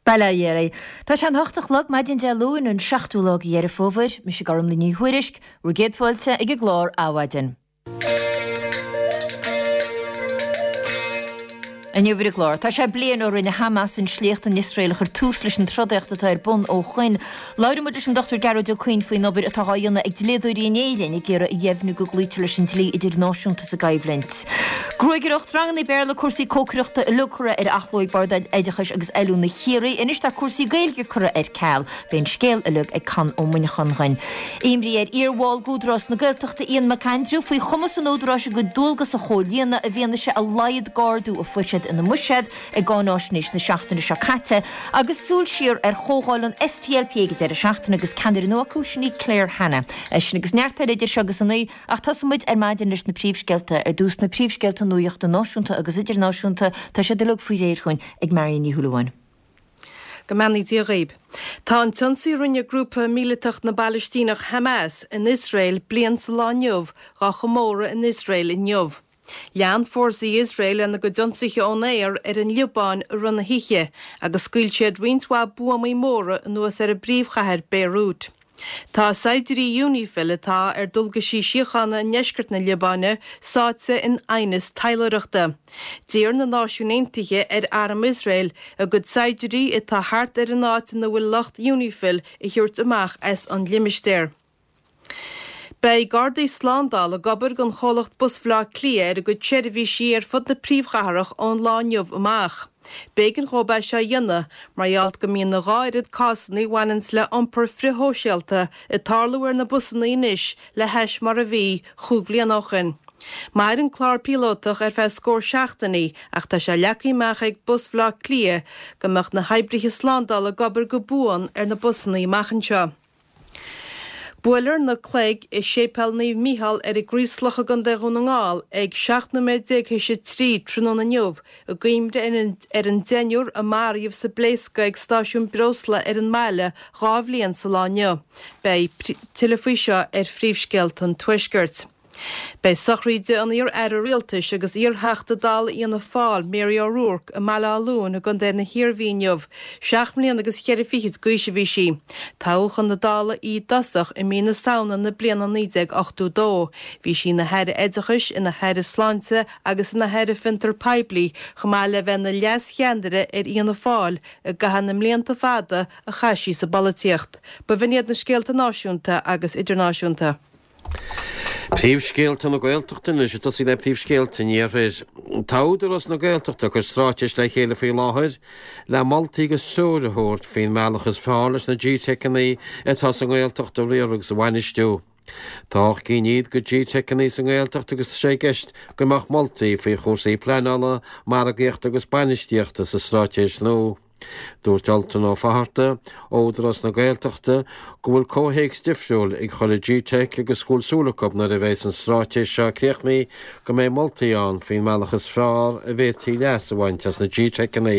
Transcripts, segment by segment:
Bail ó Dhia oraibh. Tá sé an hocht a chlog maidin Dé Luain, an seachtú lá de Dheireadh Fómhair. Mise Gormlaith Ní Thuairisg, bhur gcéad fáilte ag an gclár Adhmhaidin. Inniu ar an gclár, tá sé bliain ó rinne Hamas an sléacht in Iosrael a chuir tús leis an trodaíocht atá ar bun ó shoin. Labhróidh muid leis an Dr Gearóid Ó Coinn faoin obair atá á dhéanamh ag dlíodóirí in Éirinn ag iarraidh a dheimhniú go gcloítear leis an dlí idirnáisiúnta sa gcoimhlint. Gruagaireacht, ranganna Béarla, cúrsaí cócaireachta uilig curtha ar athló ag Bord Oideachais agus Oiliúna Chiarraí. Anois tá cúrsaí Gaeilge curtha ar ceal. Beidh an scéal uilig ag Conn Ó Muineacháin dhuinn. Imní ar iarbhall d'Údarás na Gaeltachta Ian McAndrew faoi chumas an Údaráis a gcuid dualgas a chomhlíonadh i bhfianaise a laghad d'ardú a fuair siad ina mbuiséad i gcáináisnéis na seachtaine seo caite agus súil siar ar chomhdháil an SDLP ag an deireadh seachtaine agus ceannaire nua acu, sin í Claire Hanna. É sin agus neart eile idir seo agus a naoi. Ach tosóidh muid ar maidin leis na príomhscéalta. Ar dtús na príomhscéalta nuachta náisiúnta agus idirnáisiúnta, tá siad uilig faoi réir chugainn ag Marion Ní Shúilleabháin. Go mbeannaí Dia dhaoib. Tá an t-ionsaí a rinne grúpa míleatach na bPalaistíneach Hamas in Iosrael bliain sa lá inniu dhá chomóradh in Iosrael inniu. Lean fórsaí Iosrael lena gcuid ionsaithe ón aer ar an Liobáin i rith na hoíche agus scaoil siad roinnt mhaith buamaí móra anuas ar an bpríomhchathair Beirut. Tá saighdiúirí Unifil atá ar dualgaisí síochána i ndeisceart na Liobáine sáite in aighneas taidhleoireachta. D'iarr na Náisiúin Aontaithe ar arm Iosrael a gcuid saighdiúirí atá thart ar an áit ina bhfuil lucht Unifil a thabhairt amach as an limistéar. Beidh Gardaí Slándála ag obair don chomhlacht Bus Bhaile Átha Cliath ar a gcuid seirbhísí ar fud na príomhchathrach ón lá inniu amach. B'éigean dhóibh é seo a dhéanamh mar gheall go mbíonn a dhá oiread cásanna a bhaineanns le iompar frithshóisialta ag tarlú ar na busanna anois le hais mar a bhí chúig bhliana ó shin. Mairfidh an clár píolótach ar feadh scór seachtainí ach tá sé leagtha amach ag Bus Bhaile Átha Cliath go mbeadh na hoibrithe slándála ag obair go buan ar na busanna amach anseo. Buailfear na cloig i Séipéal Naomh Mícheál ar an gCraoslach i gContae Dhún na nGall ag 17 nóiméad théis 3 tráthnóna inniu i gcuimhne ar an deichniúr a maraíodh sa bpléascadh ag stáisiún breosla ar an mbaile 2 bhliain sa lá inniu. Beidh tuilleadh faoi seo ar Phríomhscéalta an Tuaiscirt. Beidh sochraíde an iar-aire rialtais agus iar-Theachta Dála Fhianna Fáil, Mary O'Rourke, i mBaile Átha Luain i gContae na hIarmhí inniu. Seacht mbliana agus cheithre fichid d'aois a bhí sí. Toghadh chun na Dála í i dtosach i mí na Samhna na bliana 1982. Bhí sí ina hAire Oideachais, ina hAire Sláinte agus ina hAire Fiontar Poiblí, chomh maith le bheith ina leas-cheannaire ar Fhianna Fáil i gcaitheamh na mblianta fada a chaith sí sa bpolaitíocht. B'in iad na scéalta náisiúnta agus idirnáisiúnta. Príomhscéalta na Gaeltachta anois, ag tosaí le príomhscéalta an Iarthair. Tá Údarás na Gaeltachta ag cur straitéis le chéile faoi láthair le moltaí agus treoir a thabhairt faoin mbealach is fearr leis na GTeiceanna atá sa nGaeltacht a riaradh agus a bhainistiú. Tá 8 gcinn fhichead de GTeiceanna sa nGaeltacht agus tá sé i gceist go mbeadh moltaí faoi chúrsaí pleanála, margaíochta agus bainistíochta sa straitéis nua. Dúirt Ultan Ó Fatharta, ó Údarás na Gaeltachta, go bhfuil comhthéacs difriúil ag chuile GTeic agus go bhfuil súil acu nuair a bheas an straitéis seo críochnaithe go mbeidh moltaí ann faoin mbealach is fearr a bhféadfaí leas a bhaint as na GTeiceanna.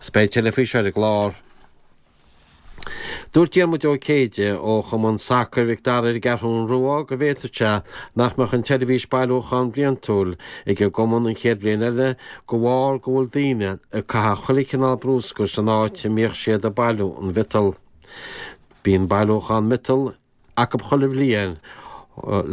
Is beidh tuilleadh faoi seo ar an gclár. Dúirt Diarmuid Ó Céide ó Chumann Sacair Mhic Dara ar an gCeathrú Rua go bhféadfadh sé nach mbeadh an tseirbhís bailiúcháin bliantúil ag an gcumann an chéad bhliain eile de bharr go bhfuil daoine ag caitheamh chuile chineál brúscair san áit a mbíodh siad ag bailiú an mhiotail. Bíonn bailiúchán miotail acu chuile bhliain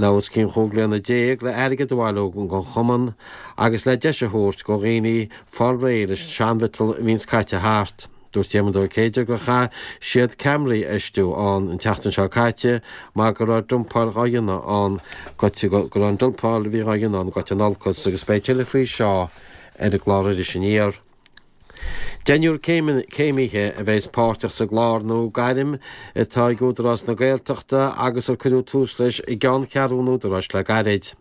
le os cionn chúig bliana déag le airgead a bhailiú don chumann agus le deis a thabhairt do dhaoine fáil réidh leis an seanmhiotal a bhíonns caite thart. Dúirt Diarmuid Ó Céide gur chaith siad ceamaraí a fheistiú ann an tseachtain seo caite mar go raibh dumpáil dhá dhéanamh ann go raibh an dumpáil a bhí dhá dhéanamh ann goite in olcas agus beidh tuilleadh faoi seo ar an gclár Iris Aniar. Deichniúr céimithe a bheas páirteach sa gclár nua Gairm atá ag Údarás na Gaeltachta agus ar cuireadh tús leis i gceanncheathrú an Údaráis le gairid.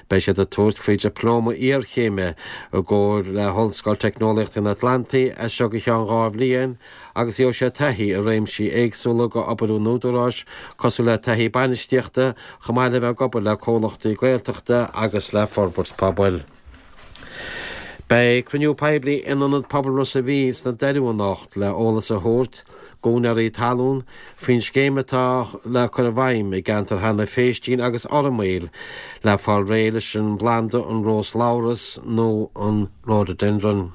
Beidh siad ag tabhairt faoi Dioplóma Iarchéime i gcomhar le hOllscoil Teicneolaíochta an Atlantaigh as seo go ceann 2 bhliain agus gheobhaidh siad taithí i réimsí éagsúla d'obair an Údaráis cosúil le taithí bainistíochta chomh maith le bheith ag obair le comhlachtaí Gaeltachta agus le forbairt pobail. Beidh cruinniú poiblí in Ionad Pobail Ros a' Mhíl sna Doirí anocht le eolas a thabhairt d'úinéirí talún faoin scéim atá le cur i bhfeidhm i gceantar Hannah Phéistín agus Fhormaoil le fáil réidh leis an bplanda an rós labhras nó an rhododendron.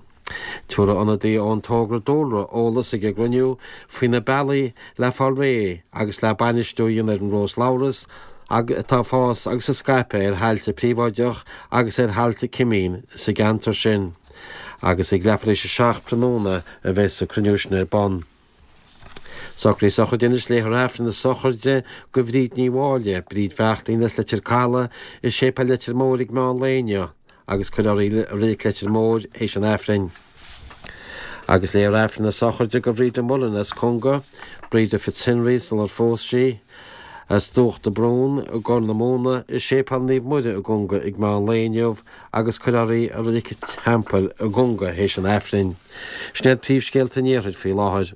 Tabharfaidh ionadaí ón Togra Dúlra eolas ag an gcruinniú faoi na bealaí le fáil réidh agus le bainistiú a dhéanamh ar an róslabhras atá ag fás agus ag scaipeadh ar thailte príobháideach agus ar thailte cimín sa gceantar sin. Agus ag leathuair tar éis a 7 tráthnóna a bheas an cruinniú sin ar bun. Socruithe sochraide anois Léifear Aifreann na sochraide do Bhríd Ní Mháille, Bríd Bheachtaín as Leitir Caladh i Séipéal Leitir Móir ag meán lae inniu agus cuirfear í i Reilig Leitir Móir théis an Aifrinn. Agus léifear Aifreann na sochraide do Bhríde Mullen as Conga, Breda Fitzhenry sular phós sí, as Dumhach de Brún i gCorr na Móna i Séipéal Naomh Muire i gConga ag meán lae inniu agus cuirfear í i Reilig an Teampaill i gConga théis an Aifrinn. Sin iad príomhscéalta an Iarthair faoi láthair.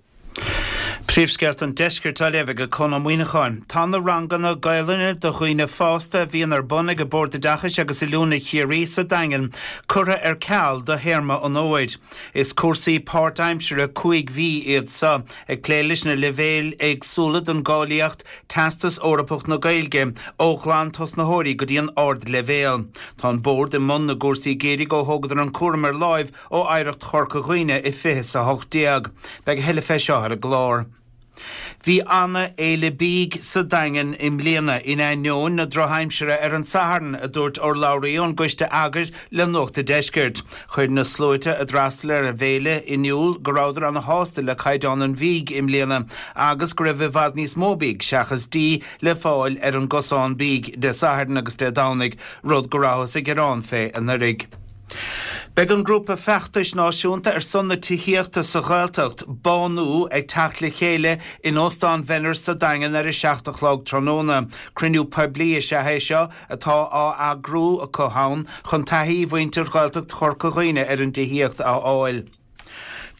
Príomhscéalta an Deiscirt á léamh ag Conn Ó Muíneacháin. Tá na ranganna Gaelainne do dhaoine fásta a bhíonn ar bun ag Bord Oideachais agus Oiliúna Chiarraí sa Daingean curtha ar ceal do théarma an fhómhair. Is cúrsaí páirtaimseartha 5 mhí iad seo, ag plé leis na leibhéil éagsúla den gcáilíocht Teastas Eorpach na Gaeilge, ó ghlantosnaitheoirí go dtí an ardleibhéal. Tá an Bord i mbun na gcúrsaí geimhridh ó thógadar an cúram ar láimh ó Oidhreacht Chorca Dhuibhne i 2018. Beidh a thuilleadh fé seo ar an gclár. Bhí ana fhéile bídh sa Daingean i mbliana, in ainneoin na drochaimsire ar an Satharn, a dúirt urlabhraí ón gcoiste eagair le Nuacht a' Deiscirt. Chuir na sluaite a d'fhreastail ar an bhféile in iúl go rabhadar ana shásta le caighdeán an bhídh i mbliana agus go raibh i bhfad níos mó bídh seachas dí le fáil ar an gcosán bídh Dé Sathairn agus Dé Domhnaigh, rud go rabhthas ag gearán fé anuraidh. Beidh an grúpa feachtais náisiúnta ar son na tithíochta sa Ghaeltacht, Bánú, ag teacht le chéile in Óstán Bhenners sa Daingean ar a 7 a chlog tráthnóna. Cruinniú poiblí is ea é seo atá á eagrú acu ann chun taithí mhuintir Ghaeltacht Chorca Dhuibhne ar an dtithíocht a fháil.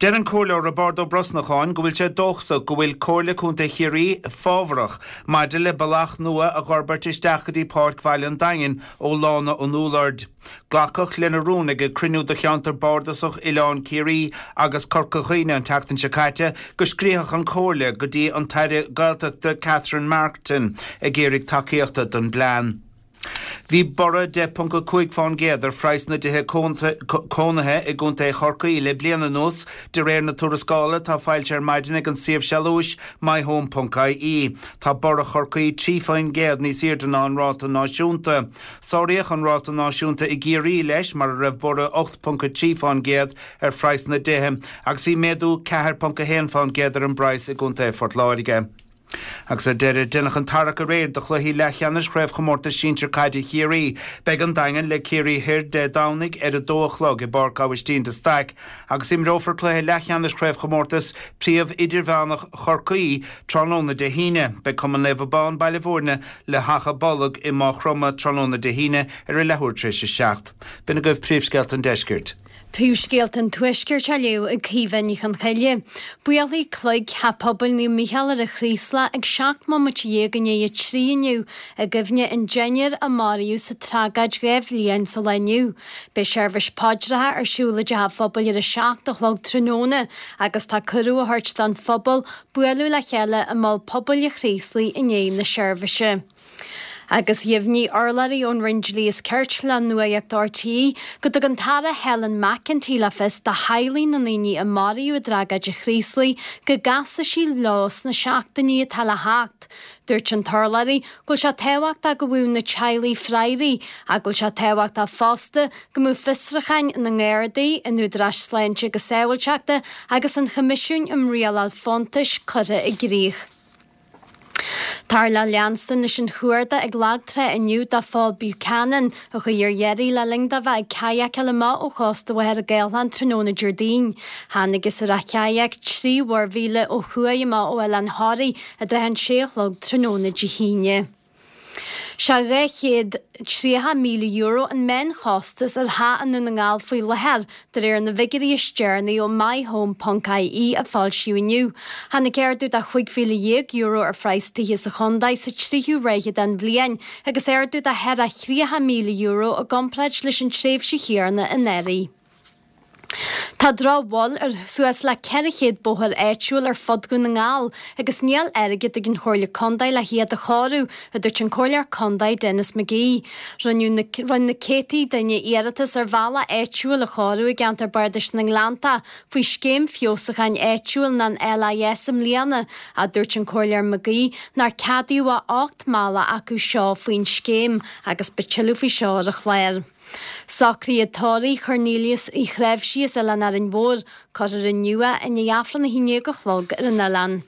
Deir an Comhairleoir Roibeárd Ó Brosnacháin go bhfuil sé dóchasach go bhfuil Comhairle Contae Chiarraí fábharach maidir le bealach nua a dh'fhorbairt isteach go dtí Páirc Bhaile an Daingin ó Lána an Úlloird. Glacadh lena rún ag cruinniú de Cheantar Bardasach Oileán Ciarraí agus Corca Dhuibhne an tseachtain seo caite go scríobhfadh an Chomhairle go dtí an tAire Gaeltachta Catherine Martin ag iarraidh tacaíochta don bplean. Bhí borradh 10.5 fán gcéad ar phraghas na dtithe cónaithe i gContae Chorcaí le bliain anuas, de réir na tuarascála atá foilsithe ar maidin ag an suíomh sealúis myhome.ie. Tá borradh Chorcaí 3 faoin gcéad níos airde ná an ráta náisiúnta. Sáraíodh an ráta náisiúnta i gCiarraí leis, mar a raibh borradh 8.3 fán gcéad ar phraghas na dtithe, agus bhí méadú 4.1 fán gcéad ar an bpraghas i gContae Phort Láirge. Agus ar deireadh, deineadh an tarrac aréir do chluichí leathcheannais Chraobhchomórtas Sinsir Caide Chiarraí. Beidh an Daingean le Ciarraí Thoir Dé Domhnaigh ar a dó a chlog i bPáirc Aibhistín de Staic agus imreofar cluiche leathcheannais Chraobhchomórtas Príomh Idirmheánach Chorcaí tráthnóna Dé hAoine. Beidh Cumann Naomh Abán, Baile Bhúirne le hAchadh Bolg i Maigh Chromtha tráthnóna Dé hAoine ar a leathuair tar éis a 7. B'in agaibh príomhscéalta an deiscirt. Príomhscéalta an Tuaiscirt á léamh ag Caoimhe Ní Chonchoille. Buailfidh cloig Theach Pobail Naomh Mícheál ar an Chraoslach ag 17 mbomaite i ndiaidh a 3 inniu i gcuimhne an deichniúr a maraíodh sa tragóid 2 bhliain sa lá inniu. Beidh seirbhís paidreacha ar siúl i dteach an phobail ar a 7 a chlog tráthnóna agus tá cuireadh á thabhairt don phobal bualadh le chéile i Mol Pobail an Chraoslaigh i ndiaidh na seirbhíse. Agus dheimhnigh urlabhraí ón Roinn Dlí is Cirt le Nuacht RTÉ go dtug an tAire Helen McEntee le fios do theaghlaigh na ndaoine a maraíodh i dtragóid an Chraoslaigh go gcasfaidh sí leo sna seachtainí atá le theacht. Dúirt an t-urlabhraí go bhfuil sé tábhachtach go bhfaigheadh na teaghlaigh freagraí ach go bhfuil sé tábhachtach fosta go mbeadh fiosrúcháin na nGardaí, an Údaráis Sláinte agus Sábháilteachta agus an Choimisiúin um Rialáil Fóntais curtha i gcrích. Táthar le leanstan leis an chuardach ag lag trá inniu do Phól Buchanan, a chuaigh ar iarraidh le linn dó bheith ag cadhacáil amach ó chósta Mhachaire Gathlán tráthnóna Déardaoin. Thángthas ar a chadhac 3 mhuirmhíle ó thuaidh amach ó Oileán Thoraí i dtrátha an sé a chlog tráthnóna Dé hAoine. Sé €230,000 an meánchostas ar theach i nDún na nGall faoi láthair, de réir na bhfigiúirí is deireanaí ó MyHome.ie a foilsíodh inniu. Tháinig ardú de €15,000 ar phraghas tithe sa chontae sa tríú ráithe den bhliain agus ardú de €34,000 i gcomparáid leis an tréimhse chéanna anuraidh. Tá drochbhail ar suas le 400 bóthar áitiúil ar fud Dhún na nGall agus níl airgead ag an Chomhairle Contae le hiad a chóiriú, a dúirt an Comhairleoir Contae Denis McGee. Rinne na céadtaí duine iarratas ar bhealach áitiúil a chóiriú i gceantar Bardais na nGleanntach faoi Scéim Feabhsúcháin Áitiúil an LIS i mbliana, ach dúirt an Comhairleoir McGee nár ceadaíodh ach 8 mbealach acu seo faoin scéim agus beidh tuilleadh faoi seo ar an chlár. Socruithe tórraimh Chornelius Uí Chnáimhsí as Oileán Árainn Mhór, cuirfear inniu é i ndiaidh Aifreann 11 a chlog ar an oileán.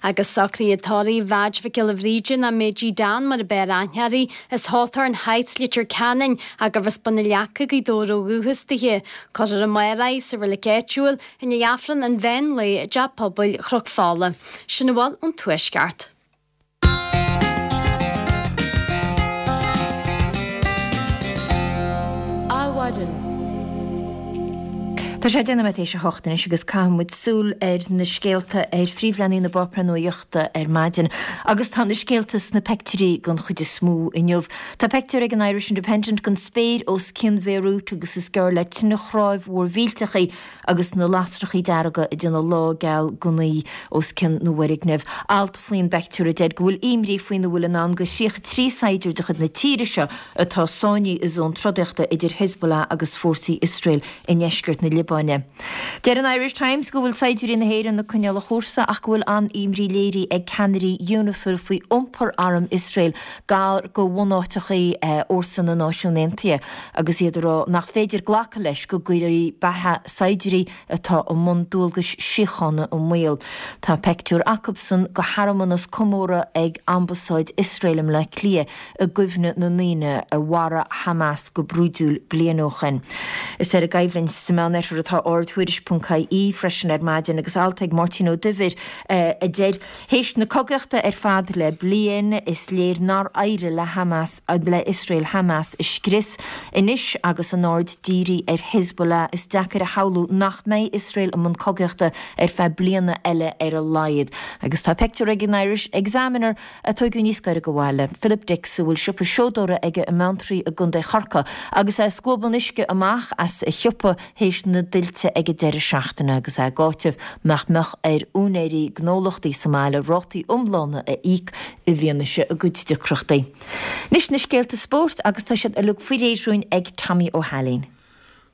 Agus socruithe tórraimh Mheaid Mhic Giolla Bhríde nó Méidí Dan mar a b'fhearr aithne uirthi, as Hawthorn Heights, Leitir Ceanainn, ach gurbh as Bun na Leaca, Gaoth Dobhair ó dhúchas dithe. Cuirfear amárach í sa reilig áitiúil i ndiaidh Aifreann an mheán lae i dTeach Pobail Chnoc Fola. Sin a bhfuil ón Tuaisceart. Adhmhaidin. Tá sé 10 nóiméad théis a hocht anois agus caithfidh muid súil ar na scéalta ar phríomhleathanaigh na bpáipéar nuaíochta ar maidin. Agus tá na scéalta sna peictiúirí den chuid is mó inniu. Tá peictiúr ag an Irish Independent den spéir os cionn Bhéarút agus is gearr le tine chráibh mhór mhillteach í agus na lasrachaí dearga ag déanamh lá geal gunnaí os cionn na bhfoirgneamh. Alt faoin bpeictiúr a deir go bhfuil imní faoina bhfuil i ndán do 33 saighdiúir de chuid na tíre seo atá sáinnithe i zón trodaíochta idir Hezbollah agus fórsaí Iosrael i ndeisceart na Liobáine. Deir an Irish Times go bhfuil saighdiúirí na hÉireann ag coinneáil a chúrsa ach go bhfuil an-imní léirithe ag ceannairí Unifil faoi iompar arm Iosrael gar do bhunáiteachaí fhórsa na Náisiún Aontaithe agus iad ag rá nach féidir glacadh leis go gcuirfí beatha saighdiúirí atá i mbun dualgais síochána i mbaol. Tá peictiúr acubsan de shearmanas comórtha ag Ambasáid Iosrael i mBleá Cliath i gcuimhne na ndaoine a mharaigh Hamas go brúidiúil bliain ó shoin. Is ar an gcoimhlint sa Meánoirthear atá aird Thuairisc.ie freisin ar maidin agus alt ag Máirtín Ó Duibhir a deir, Théis na cogaíochta ar fad le bliain, is léir nár éirigh le Hamas, le Iosrael Hamas a scrios. Anois agus an aird dírithe ar Hezbollah, is deacair a shamhlú nach mbeidh Iosrael i mbun cogaíochta ar feadh bliana eile ar a laghad. Agus tá peictiúr ag an Irish Examiner a tóigeadh níos gaire do bhaile, Philip Dix, a bhfuil siopa seodóra aige i mBeanntraí i gContae Chorcaí, agus é ag scuabadh an uisce amach as a shiopa théis na dtuilte ag an deireadh seachtaine agus é ag áiteamh nach mbeadh ar úinéirí gnólachtaí sa mbaile rátaí iomlána a íoc i bhfianaise a gcuid deacrachtaí. Anois na scéalta spóirt agus tá siad uilig faoi réir dúinn ag Tommy Ó hAilín.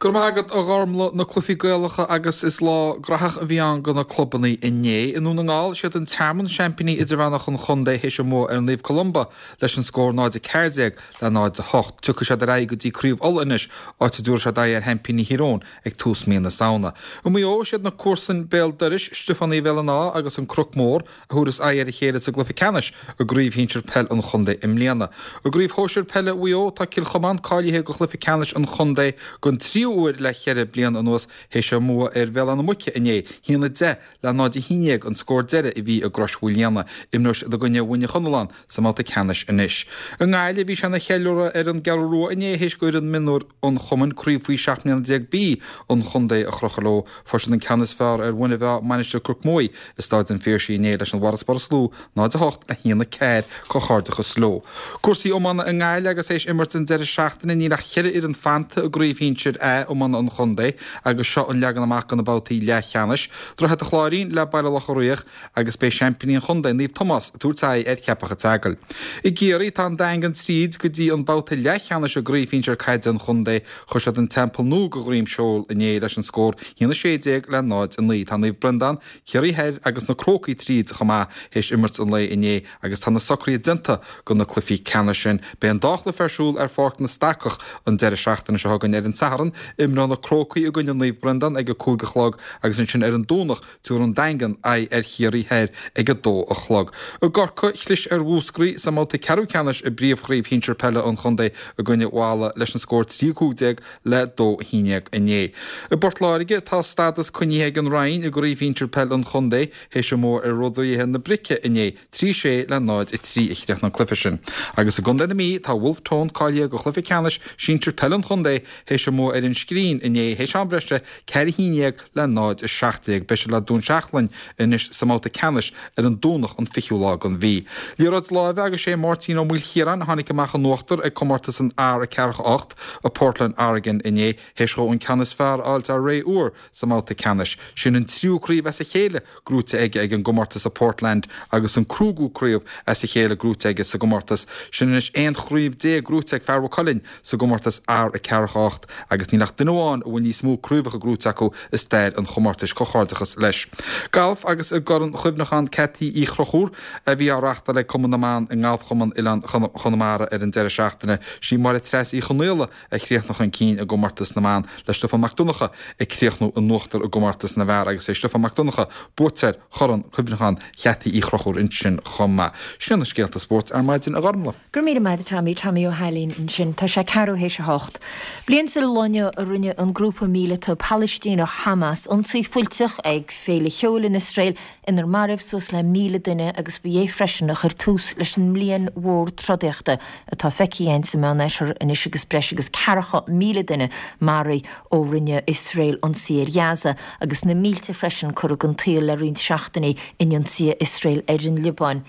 Go raibh maith agat a Ghormlaith, na cluichí Gaelacha agus is lá graitheach a bhí ann do na clubannaí inné. I nDún na nGall, siad an Tearmann seaimpíní idirmheánach an chontae théis a mbua ar Naomh Columba leis an scór 0-14 le 0-8. Tiocfaidh siad ar aghaidh go dtí Craobh Uladh anois, áit a dtabharfaidh siad aghaidh ar sheaimpíní Thír Eoghain ag tús mí na Samhna. I Maigh Eo, siad na comharsain béal dorais, Stiofán Uí Bhéal an Átha agus an Cnoc Mór, a thabharfas aghaidh ar a chéile sa gcluiche ceannais i gCraobh Shinsir Peil an Chontae i mbliana. I gCraobh Shóisir Peile Mhaigh Eo, tá Cill Chomáin cáilithe do chluiche ceannais an chontae don tríú huair le cheithre bliana anuas théis a mbua ar Bhéal Átha na Muice inné, 1-10 le 0-11 an scór deiridh a bhí i gCrois Mhaoilíona. Imreoidh siad i gcoinne Mhuine Chonalláin sa mbabhta ceannais anois. I nGaillimh, bhí sé ina cheiliúradh ar an gCeathrú Rua inné théis d'fhoireann mionúir an chumainn Craobh Faoi 17 mbliana B an chontae a chrochadh leo. Fuair siad an ceann is fearr ar Mhuine Mheá, Mainistir Chnoc Muaidhe, i Stáid an Phiarsaigh inné leis an bhfarasbarr is lú, 0-8 le 1-4. Comhghairdeachas leo. Cúrsaí iomána i nGaillimh agus théis imirt an deireadh seachtaine níl ach cheithre fhoireann fanta i gcraobh shinsir A iomána an chontae agus seo an leagan amach do na babhtaí leathcheannais. Droichead an Chláirín le Baile Locha Riach agus beidh seaimpíní an chontae, Naomh Tomás, ag tabhairt aghaidh ar Cheapach an tSeagail. I gCiarraí tá an Daingean tríd go dtí an babhta leathcheannais i gcraobh shinsir caide an chontae. Chuir siad an Teampall Nua de dhroim seoil inné leis an scór 1-16 le 0-9. Tá Naomh Breandán, Ciarraí Thoir agus na Crócaigh tríd chomh maith théis imirt an lae inné agus tá na socruithe déanta do na cluichí ceannais sin. Beidh an dá chluiche ar siúl ar Pháirc na Stacach an deireadh seachtaine seo chugainn. Ar an Satharn, imreoidh na Crócaigh i gcoinne Naomh Breandán ag a 5 a chlog agus ansin ar an Domhnach, tabharfaidh an Daingean aghaidh ar Chiarraí Thoir ag a 2 a chlog. I gCorcaigh, chlis ar Mhúscraí sa mbabhta ceathrú ceannais i bpríomhchraobh shinsir peile an chontae i gcoinne Mhala leis an scór 3-15 le 2-11 inné. I bPort Láirge, tá stádas coinnithe ag an Rinn i gcraobh shinsir peile an chontae théis a mbua ar Rúraithe na Brice inné, 3-6 le 0-3 a chríochnaigh an cluiche sin. Agus i gcontae na Mí, tá Wolfe Tone cáilithe do chluiche ceannais sinsir peile an chontae théis a mbua ar. Bhinn Scrín inné théis am breise, 4 1 le 0, 17. Beidh siad le Dún Seachlainn anois sa mbabhta ceannais ar an Domhnach an 20ú lá den mhí. Liathróid láimhe agus sé Máirtín Ó Maoilchiaráin a tháinig amach in uachtar ag comórtas an R48 i Portland, Oregon inné théis dhó an ceann is fearr a fháilt ar Ray Ure sa mbabhta ceannais. Sin an tríú craobh as a chéile gnóite aige ag an gcomórtas i Portland agus an cúigiú craobh as a chéile gnóite aige sa gcomórtas sin. Anois 11 chraobh gnóite ag fear Mhaigh Cuilinn sa gcomórtas R48 agus níl ach duine amháin a bhfuil níos mó craobhacha gnóite acu i stair an chomórtais. Comhghairdeachas leis. Galf agus i gCorn Chuimhneacháin Ceaití Uí Chonchúir a bhí á reachtáil ag Cumann na mBan i nGalfchumann Oileán Chonamara ar an deireadh seachtaine, sí Máire Treasa Uí Chonaola a chríochnaigh chun cinn i gcomórtas na mban le Stiofán Mac Donncha ag críochnú in uachtar i gcomórtas na bhfear agus é Stiofán Mac Donncha buaiteoir Chorn Cuimhneacháin Cheaití Uí Chonchúir ansin chomh maith. Sin na scéalta spóirt ar maidin a Ghormlaith. Go raibh míle maith agat Tommy, Tommy Ó hAilín ansin. Tá sé ceathrú théis a hocht. Bliain sa lá inniu a rinne an grúpa míleata Palaistíneach Hamas ionsaí fuilteach ag féile cheoil in Iosrael inar maraíodh suas le 1,000 duine agus ba é freisin a chuir tús leis an mbliain mhór trodaíochta atá feicthe againn sa Meánoirthear anois agus breis agus 40,000 duine maraithe ó rinne Iosrael ionsaí ar Ghaza agus na mílte freisin curtha den tsaol le roinnt seachtainí in ionsaithe Iosrael ar an Liobáin.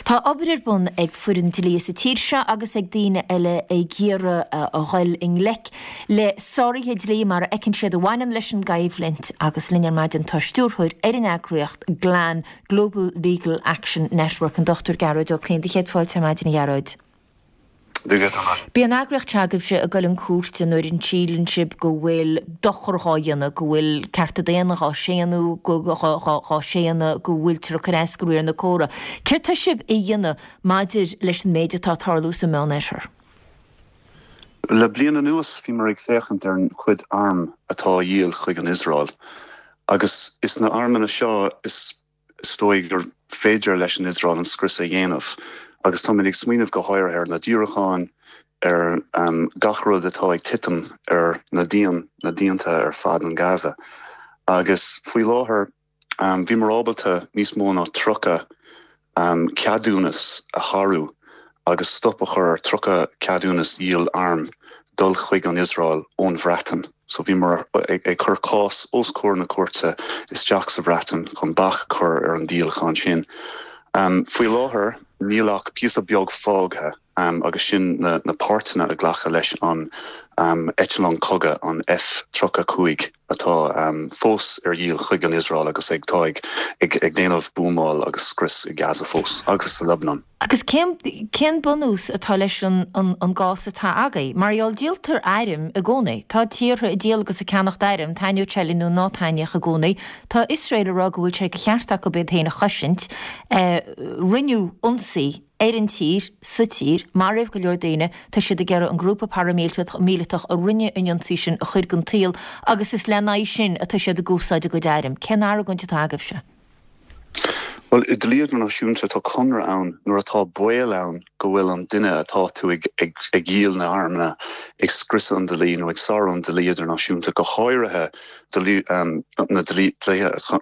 Tá obair ar bun ag foireann dlí sa tír seo agus ag daoine eile ag iarraidh a dhul i ngleic le sáruithe dlí mar a fheiceann siad a bhaineann leis an gcoimhlint agus linn ar maidin tá stiúrthóir ar an eagraíocht GLAN, Global Legal Action Network, an Dr Gearóid Ó Cuinn. Do chéad fáilte ar maidin a Ghearóid. Bíonn an eagraíocht seo agaibhse ag dul chun cúirte nuair a síleann sibh go bhfuil dochar dhá dhéanamh, go bhfuil cearta daonna dhá séanadh, dhá séanadh, go bhfuiltear ag cur as do riar na córa. Céard tá sibh a dhéanamh maidir leis an méid atá ag tarlú sa Meánoirthear? Le bliain anuas bhíomar ag féachaint ar an chuid arm atá á dhíol chuig an Iosrael agus is na armanna seo is dóigh gur féidir leis an Iosrael an scrios a dhéanamh agus táimid ag smaoineamh go háirithe ar na diúracáin, ar gach rud atá ag titim ar na díon, na díonta ar fad in Gaza agus faoi láthair Bhíomar ábalta níos mó ná 30 ceadúnas a shárú agus stop a chur ar 30 ceadúnas dhíol arm dul chuig an Iosrael ón Bhreatain. So bhíomar ag cur cás os comhair na cúirte isteach sa Bhreatain chun bac a chur ar an díolachán sin. Faoi láthair níl ach píosa beag fágtha. agus sin na páirteanna a glacadh leis an eitleán cogaidh, an F-35, atá fós ar dhíol chuig an Iosrael agus ag tá ag déanamh buamáil agus scrios i Gaza fós agus sa Lebanon. Agus cén cén bunús atá leis an an gcás atá agaibh? Mar gheall, díoltar airm i gcónaí. Tá tíortha ag díol agus ag ceannacht airm, taitneodh sé linn nó ná taitneodh i gcónaí. Tá Iosrael ag rá go bhfuil sé de cheart acu iad féin a chosaint. Rinneadh ionsaí ar an tír, sa tír, maraíodh go leor daoine, tá siad ag iarraidh an grúpa paraimíleatach a rinne an ionsaí sin a chur den tsaol agus is lena aghaidh sin atá siad ag úsáid a gcuid airm. Cén argóint atá agaibhse? Bhuel, i dlí idirnáisiúnta tá conradh ann nuair atá baol ann go bhfuil an duine atá tú ag dhíol na armanna ag scriosadh an dlí nó ag sárú an dlí idirnáisiúnta, go háirithe na dlíthe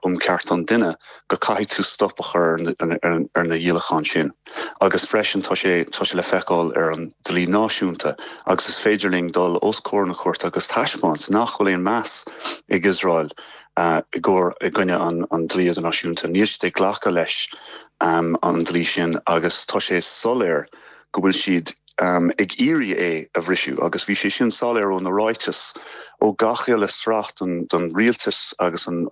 um cearta an duine. go caithfidh tú stop a chur ar na dhíolacháin sin agus freisin tá sé tá sé le feiceáil ar an dlí náisiúnta agus is féidir linn dul os comhair na cúirte agus taispeáint nach bhfuil aon meas ag Iosrael i gcomhair i gcoinne an dlí idirnáisiúnta. Níl siad ag glacadh leis an dlí sin agus tá sé soiléir go bhfuil siad ag iarraidh é a bhriseadh agus bhí sé sin soiléir ó na ráitis ó gach uile sraith den rialtas agus an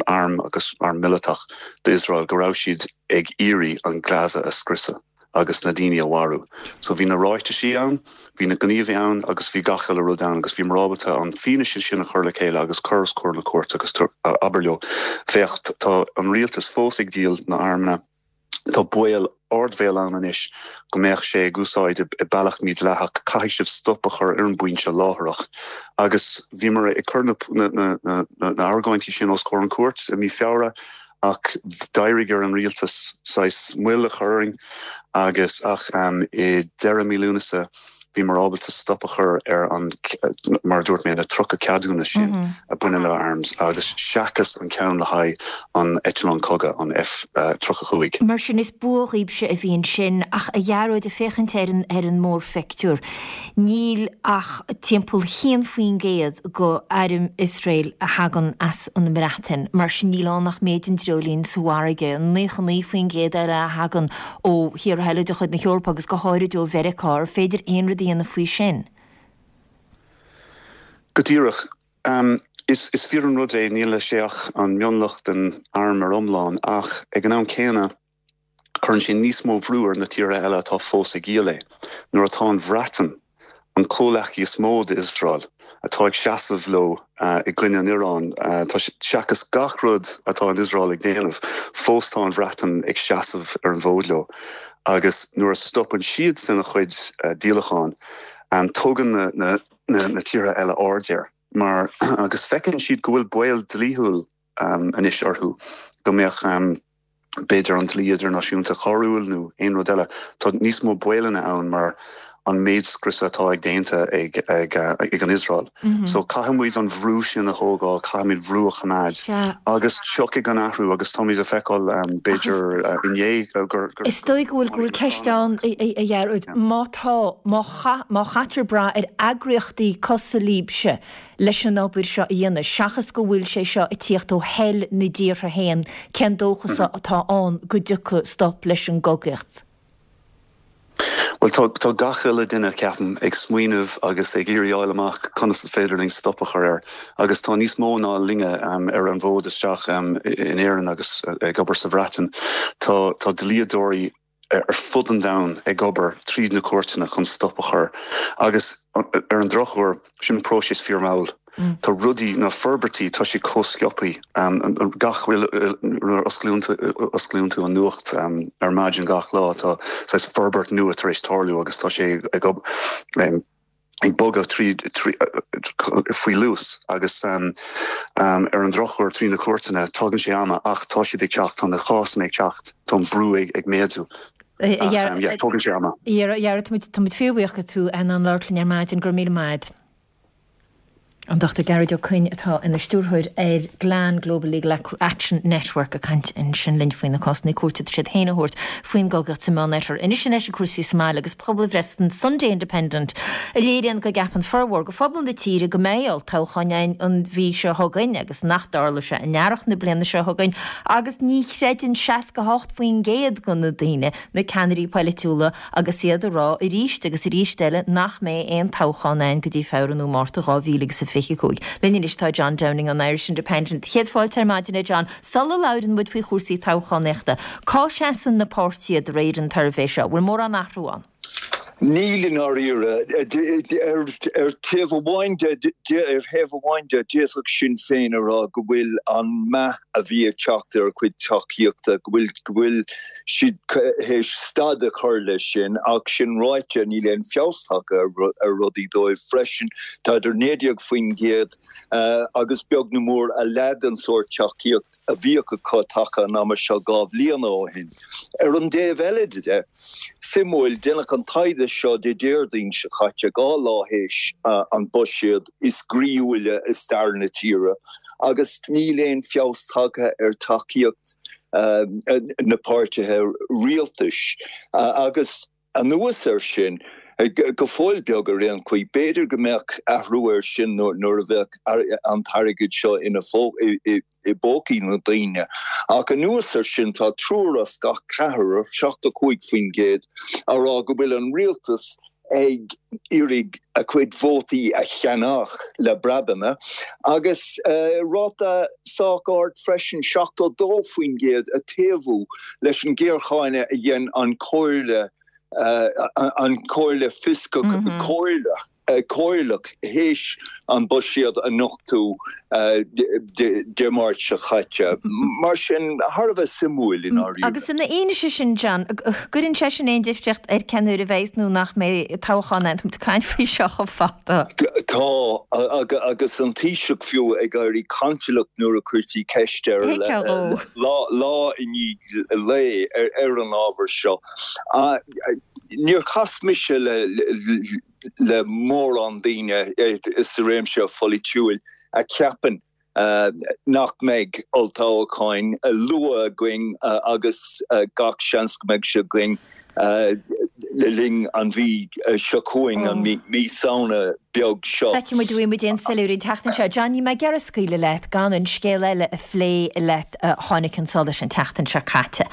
arm agus arm mileatach d'Iosrael go raibh siad ag iarraidh an Gaza a scriosadh agus na daoine a mharú. So bhí na ráitisí ann, bhí na gníomhaí ann agus bhí gach uile rud ann agus bhíomar ábalta an fianaise sin a chur le chéile agus cur os comhair na cúirte agus abair leo, féach tá an rialtas fós ag díol na armanna, Tá baol, ardbhaol ann anois go mbeadh sé ag úsáid i bealach mídhleathach. Caithfidh sibh stop a chur ar an bpointe láithreach. Agus bhíomar ag cur na n-argóintí sin os comhair an cúirt i mí Feabhra ach d'éirigh ar an rialtas saghas moill a chur orainn agus ach i deireadh mí Lúnasa. bhíomar ábalta stop a chur ar an, mar a dúirt mé, na 30 ceadúnas sin a baineann le arms agus seachas an ceann le haghaidh an eitleán cogaidh, an F-35. Mar sin, is bua dhaoibhse a bhí ansin. Ach, a Ghearóid, ag féachaint ar an, ar an mórphictiúr, níl ach timpeall 1% go airm Iosrael a thagann as an mBreatain. Mar sin, níl ann ach méid an dreoilín sa bhfarraige. An 99% eile a thagann ó thíortha eile de chuid na hEorpa agus go háirid ó Mheiriceá, ar féidir aon rud a dhéanamh faoi sin? Go díreach. Is fíor an rud é, níl sé ach an mionlach den arm ar iomlán, ach ag an am céanna, cuireann sé níos mó bhrú ar na tíortha eile atá fós ag díol é. Nuair atá an Bhreatain, an comhleacaí is mó d'Iosrael, atá ag seasamh leo i gcoinne an Iaráin, tá seachas gach rud atá an Iosrael ag déanamh, fós tá an Bhreatain ag seasamh ar an bhfód leo. Agus nuair a stopann siadsan a chuid díolachán, tugann na tíortha eile aird air mar agus feiceann siad go bhfuil baol dlíthiúil anois orthu go mbeadh b'fhéidir an dlí idirnáisiúnta coiriúil nó aon rud eile. Tá níos mó baolanna ann mar an méid scriosadh atá ag déanta ag ag ag an Iosrael. So caithfidh muid an bhrú sin a thógáil, caithfimid bhrú a choimeád agus tiocfaidh an athrú agus táimid ag feiceáil b'fhéidir inné gur gur Is dóigh go bhfuil go bhfuil ceist ann a Ghearóid, má tá, má chaith, má chaitear brath ar eagraíochtaí cosúil libhse, leis an obair seo a dhéanamh, seachas go bhfuil sé seo ag tíocht ó thoil na dtíortha féin, cén dóchas atá ann go dtiocfaidh stop leis an gcogaíocht? Bhuel, tá, tá gach uile duine, ceapaim, ag smaoineamh agus ag iarraidh fháil amach conas is féidir linn stop a chur air. Agus tá níos mó ná linne ar an bhfód isteach in Éirinn agus ag obair sa Bhreatain. Tá, tá dlíodóirí ar fud an domhain ag obair tríd na cúirteanna chun stop a chur agus ar an drochuair sin próiseas fíormhall. Tá rudaí, na forbairtí, tá siad chomh sciobthaí. Gach nuair a osclaíonn tú an nuacht ar maidin gach lá tá saghas forbairt nua tar éis tarlú agus tá sé ag ag bogadh tríd faoi luas agus ar an drochuair trí na cúirteanna tógann sé ama ach tá siad ag teacht, tá na cásanna ag teacht, tá an brú ag méadú ach yeah tógann sé ama. A Ghearóid, tá muid fíorbhuíoch go raibh tú in ann labhairt linn ar maidin, go raibh míle maith agat. An Dr Gearóid Ó Coinn atá ina stiúrthóir ar GLAN, Global Legal Action Network, ag caint ansin linn faoi na cásanna cúirte atá siad féin a thabhairt faoin gcogaíocht sa Meánoirthear. Anois in ais ag cúrsaí sa mbaile agus pobalbhreith san Sunday Independent a léiríonn go gceapann formhór de phobal na tíre go mbeidh olltoghchán ann an mhí seo chugainn agus nach dtarlóidh sé in earrach na bliana seo chugainn agus ní chreideann 68% de na daoine na ceannairí polaitiúla agus iad ag rá arís agus arís eile nach mbeidh aon toghchán ann go dtí Feabhra nó Márta 2025. Linn anois tá John Downing ón Irish Independent. Céad fáilte ar maidin a John. Sula labhrann muid faoi chúrsaí toghchánaíochta, cá seasann na páirtithe de réir an tsuirbhé seo? Bhfuil mórán athrú ann? Níl i ndáiríre. Ar taobh amháin de, ar thaobh amháin de, d'fhéadfadh Sinn Féin a rá go bhfuil an meath a bhí ag teacht ar a cuid tacaíochta, go bhfuil, go bhfuil siad théis stad a chur leis sin, ach sin ráite, níl aon feabhas tagtha ar rudaí dóibh freisin. Tá idir 19% agus beag nó mór a leath den sórt tacaíocht a bhíodh acu taca an ama seo 2 bhliana ó shin. Ar an dtaobh eile de, suimiúil, déanadh an taighde seo Dé Déardaoin seo caite, 2 lá théis an buiséad is groíúla i stair na tíre, agus níl aon feabhas tagtha ar tacaíocht na páirtithe rialtais. Agus anuas air sin, go fóill beag ar aon chaoi, b'fhéidir go mbeadh athrú air sin nuair a bheadh an t-airgead seo ina i bpócaí na ndaoine. Ach anuas air sin, tá triúr as gach ceathrar, 75%, á rá go bhfuil an rialtas ag iarraidh a cuid vótaí a cheannach le breabanna, agus ráta sách ard freisin, 72%, ag taobhú leis an ghéarcháineadh a dhein an Chomhairle, an Chomhairle Fioscach Comhairleach. Comhairleach théis an buiséad a nochtadh Dé Máirt seo caite. Mar sin, thar a bheith suimiúil i ndáiríre. Agus ina fhianaise sin, John, gcuireann sé sin aon difríocht ar cén uair a bheidh nó nach mbeidh toghchán ann? Tá muid ag caint faoi seo chomh fada. Tá, agus an Taoiseach fiú ag éirí cantalach nuair a cuirtí ceist air lá i ndiaidh lae ar an ábhar seo. Níor chas mise le. le mórán daoine sa réimse pholaitiúil a cheapann nach mbeidh olltoghcháin luath againn agus gach seans go mbeidh sé againn le linn an mhí seo chugainn, an mí Samhna beag seo. Feicfidh muid an bhfaighidh muid aon soiléiriú an tseachtain seo. John, níl mé ag iarraidh scaoileadh leat gan an scéal eile a phlé leat a tháinig chun solais an tseachtain seo caite.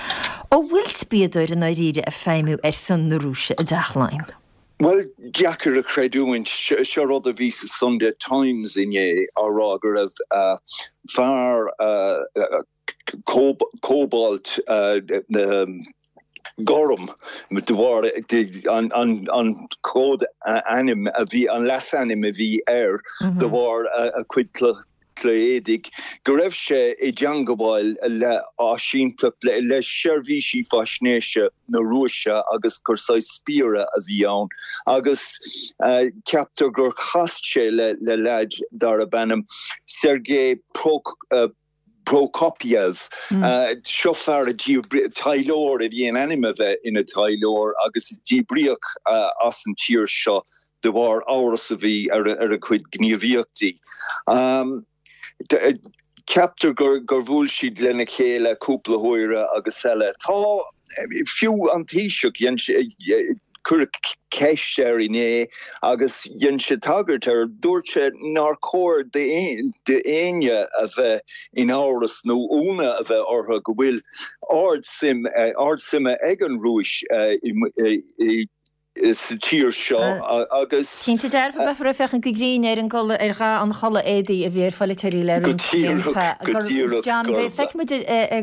An bhfuil spiadóir i ndáiríre ag feidhmiú ar son na Rúise i dTeach Laighean? Bhuel, deacair a chreidiúint. Seo rud a bhí sa Sunday Times inné á rá go raibh fear cóbalt gorm de bharr an cód ainm a bhí, an leasainm a bhí air de bharr a chuid cloch éadaigh, go raibh sé i dteangabháil le áisínteacht, le seirbhísí faisnéise na Rúise agus gur saghas spiaire a bhí ann agus ceaptar gur chas sé le leaid darb ainm Sergei Prokopyev. Seo fear a díbríodh, taidhleoir a bhí in ainm a bheith ina taidhleoir agus a díbríodh as an tír seo de bharr amhras a bhí ar a chuid gníomhaíochtaí. Ceaptar gur bhuail siad lena chéile cúpla huaire agus eile. Tá, fiú an Taoiseach, dhein sé, cuireadh ceist air inné agus dhein sé tagairt air, dúirt sé nár chóir d'éinne a bheith in amhras nó ionadh a bheith orthu go bhfuil ard-suim, ard suime ag an Rúis i sa tír seo agus. Cinnte dearfa, beifear ag féachaint go grinn ar an gculaith, ar dhath an chulaith éadaí a bhí ar pholaiteoirí le roinnt blianta. Go díreach, go díreach. John, feicfidh muid,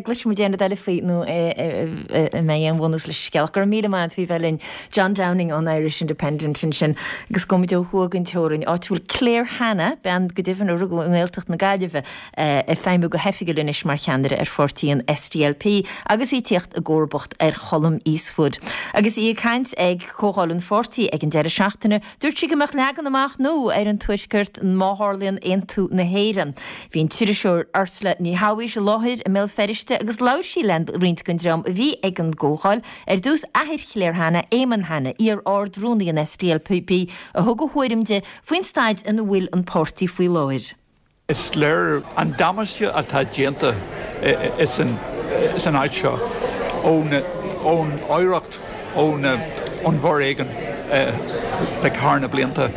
gcloisfidh muid aon rud eile faoi nó an mbeidh aon bhunús leis an scéal. Ach go raibh míle maith agat faoi bheith linn. John Downing ón Irish Independent ansin. Agus gabhfaidh muid ó thuaidh den teorainn, áit a bhfuil Claire Hanna, bean go deimhin a rugadh i nGaeltacht na Gaillimhe, ag feidhmiú go hoifigiúil anois mar cheannaire ar pháirtí an SDLP agus í ag tíocht i gcomharbacht ar Cholm Eastwood. Agus í ag caint ag comhdháil an pháirtí ag an deireadh seachtaine, dúirt sí go mbeadh leagan amach nua ar an Tuaisceart má tharlaíonn aontú na hÉireann. Bhí an t-iriseoir Ursula Ní Shabhaois i láthair i mBéal Feirste agus labhair sí le roinnt den dream a bhí ag an gcomhdháil, ar dtús athair Claire Hanna, Eamonn Hanna, iar-Ard-Rúnaí an SDLP, a thug a thuairim di faoin staid ina bhfuil an páirtí faoi láthair. Is léir an damáiste atá déanta san áit seo ón oidhreacht ón bhforéigean thar na blianta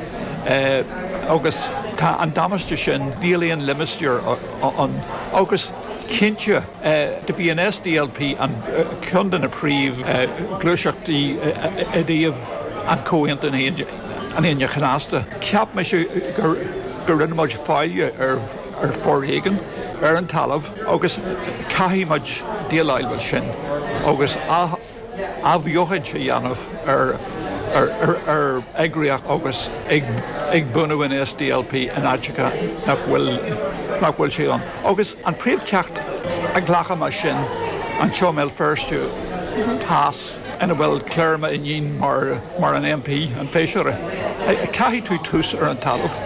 agus tá an damáiste sin, níl aon limistéar ann agus cinnte do bhí an SDLP an ceann de na príomh ghluaiseachtaí i dtaobh an Comhaontú an Aoine Chnasta. Cheap mise gur rinne muid faillí ar foréigean ar an talamh agus caithfidh muid déileáil leis sin agus athbheochaint a dhéanamh ar ar eagraíocht agus ag bunú an SDLP in áiteacha nach bhfuil nach bhfuil sé ann. Agus an príomhcheacht a ghlacaim as sin anseo i mBéal Feirste, cás ina bhfuil Claire m'iníon mar mar an MP, an feisire. Caithfidh tú tús ar an talamh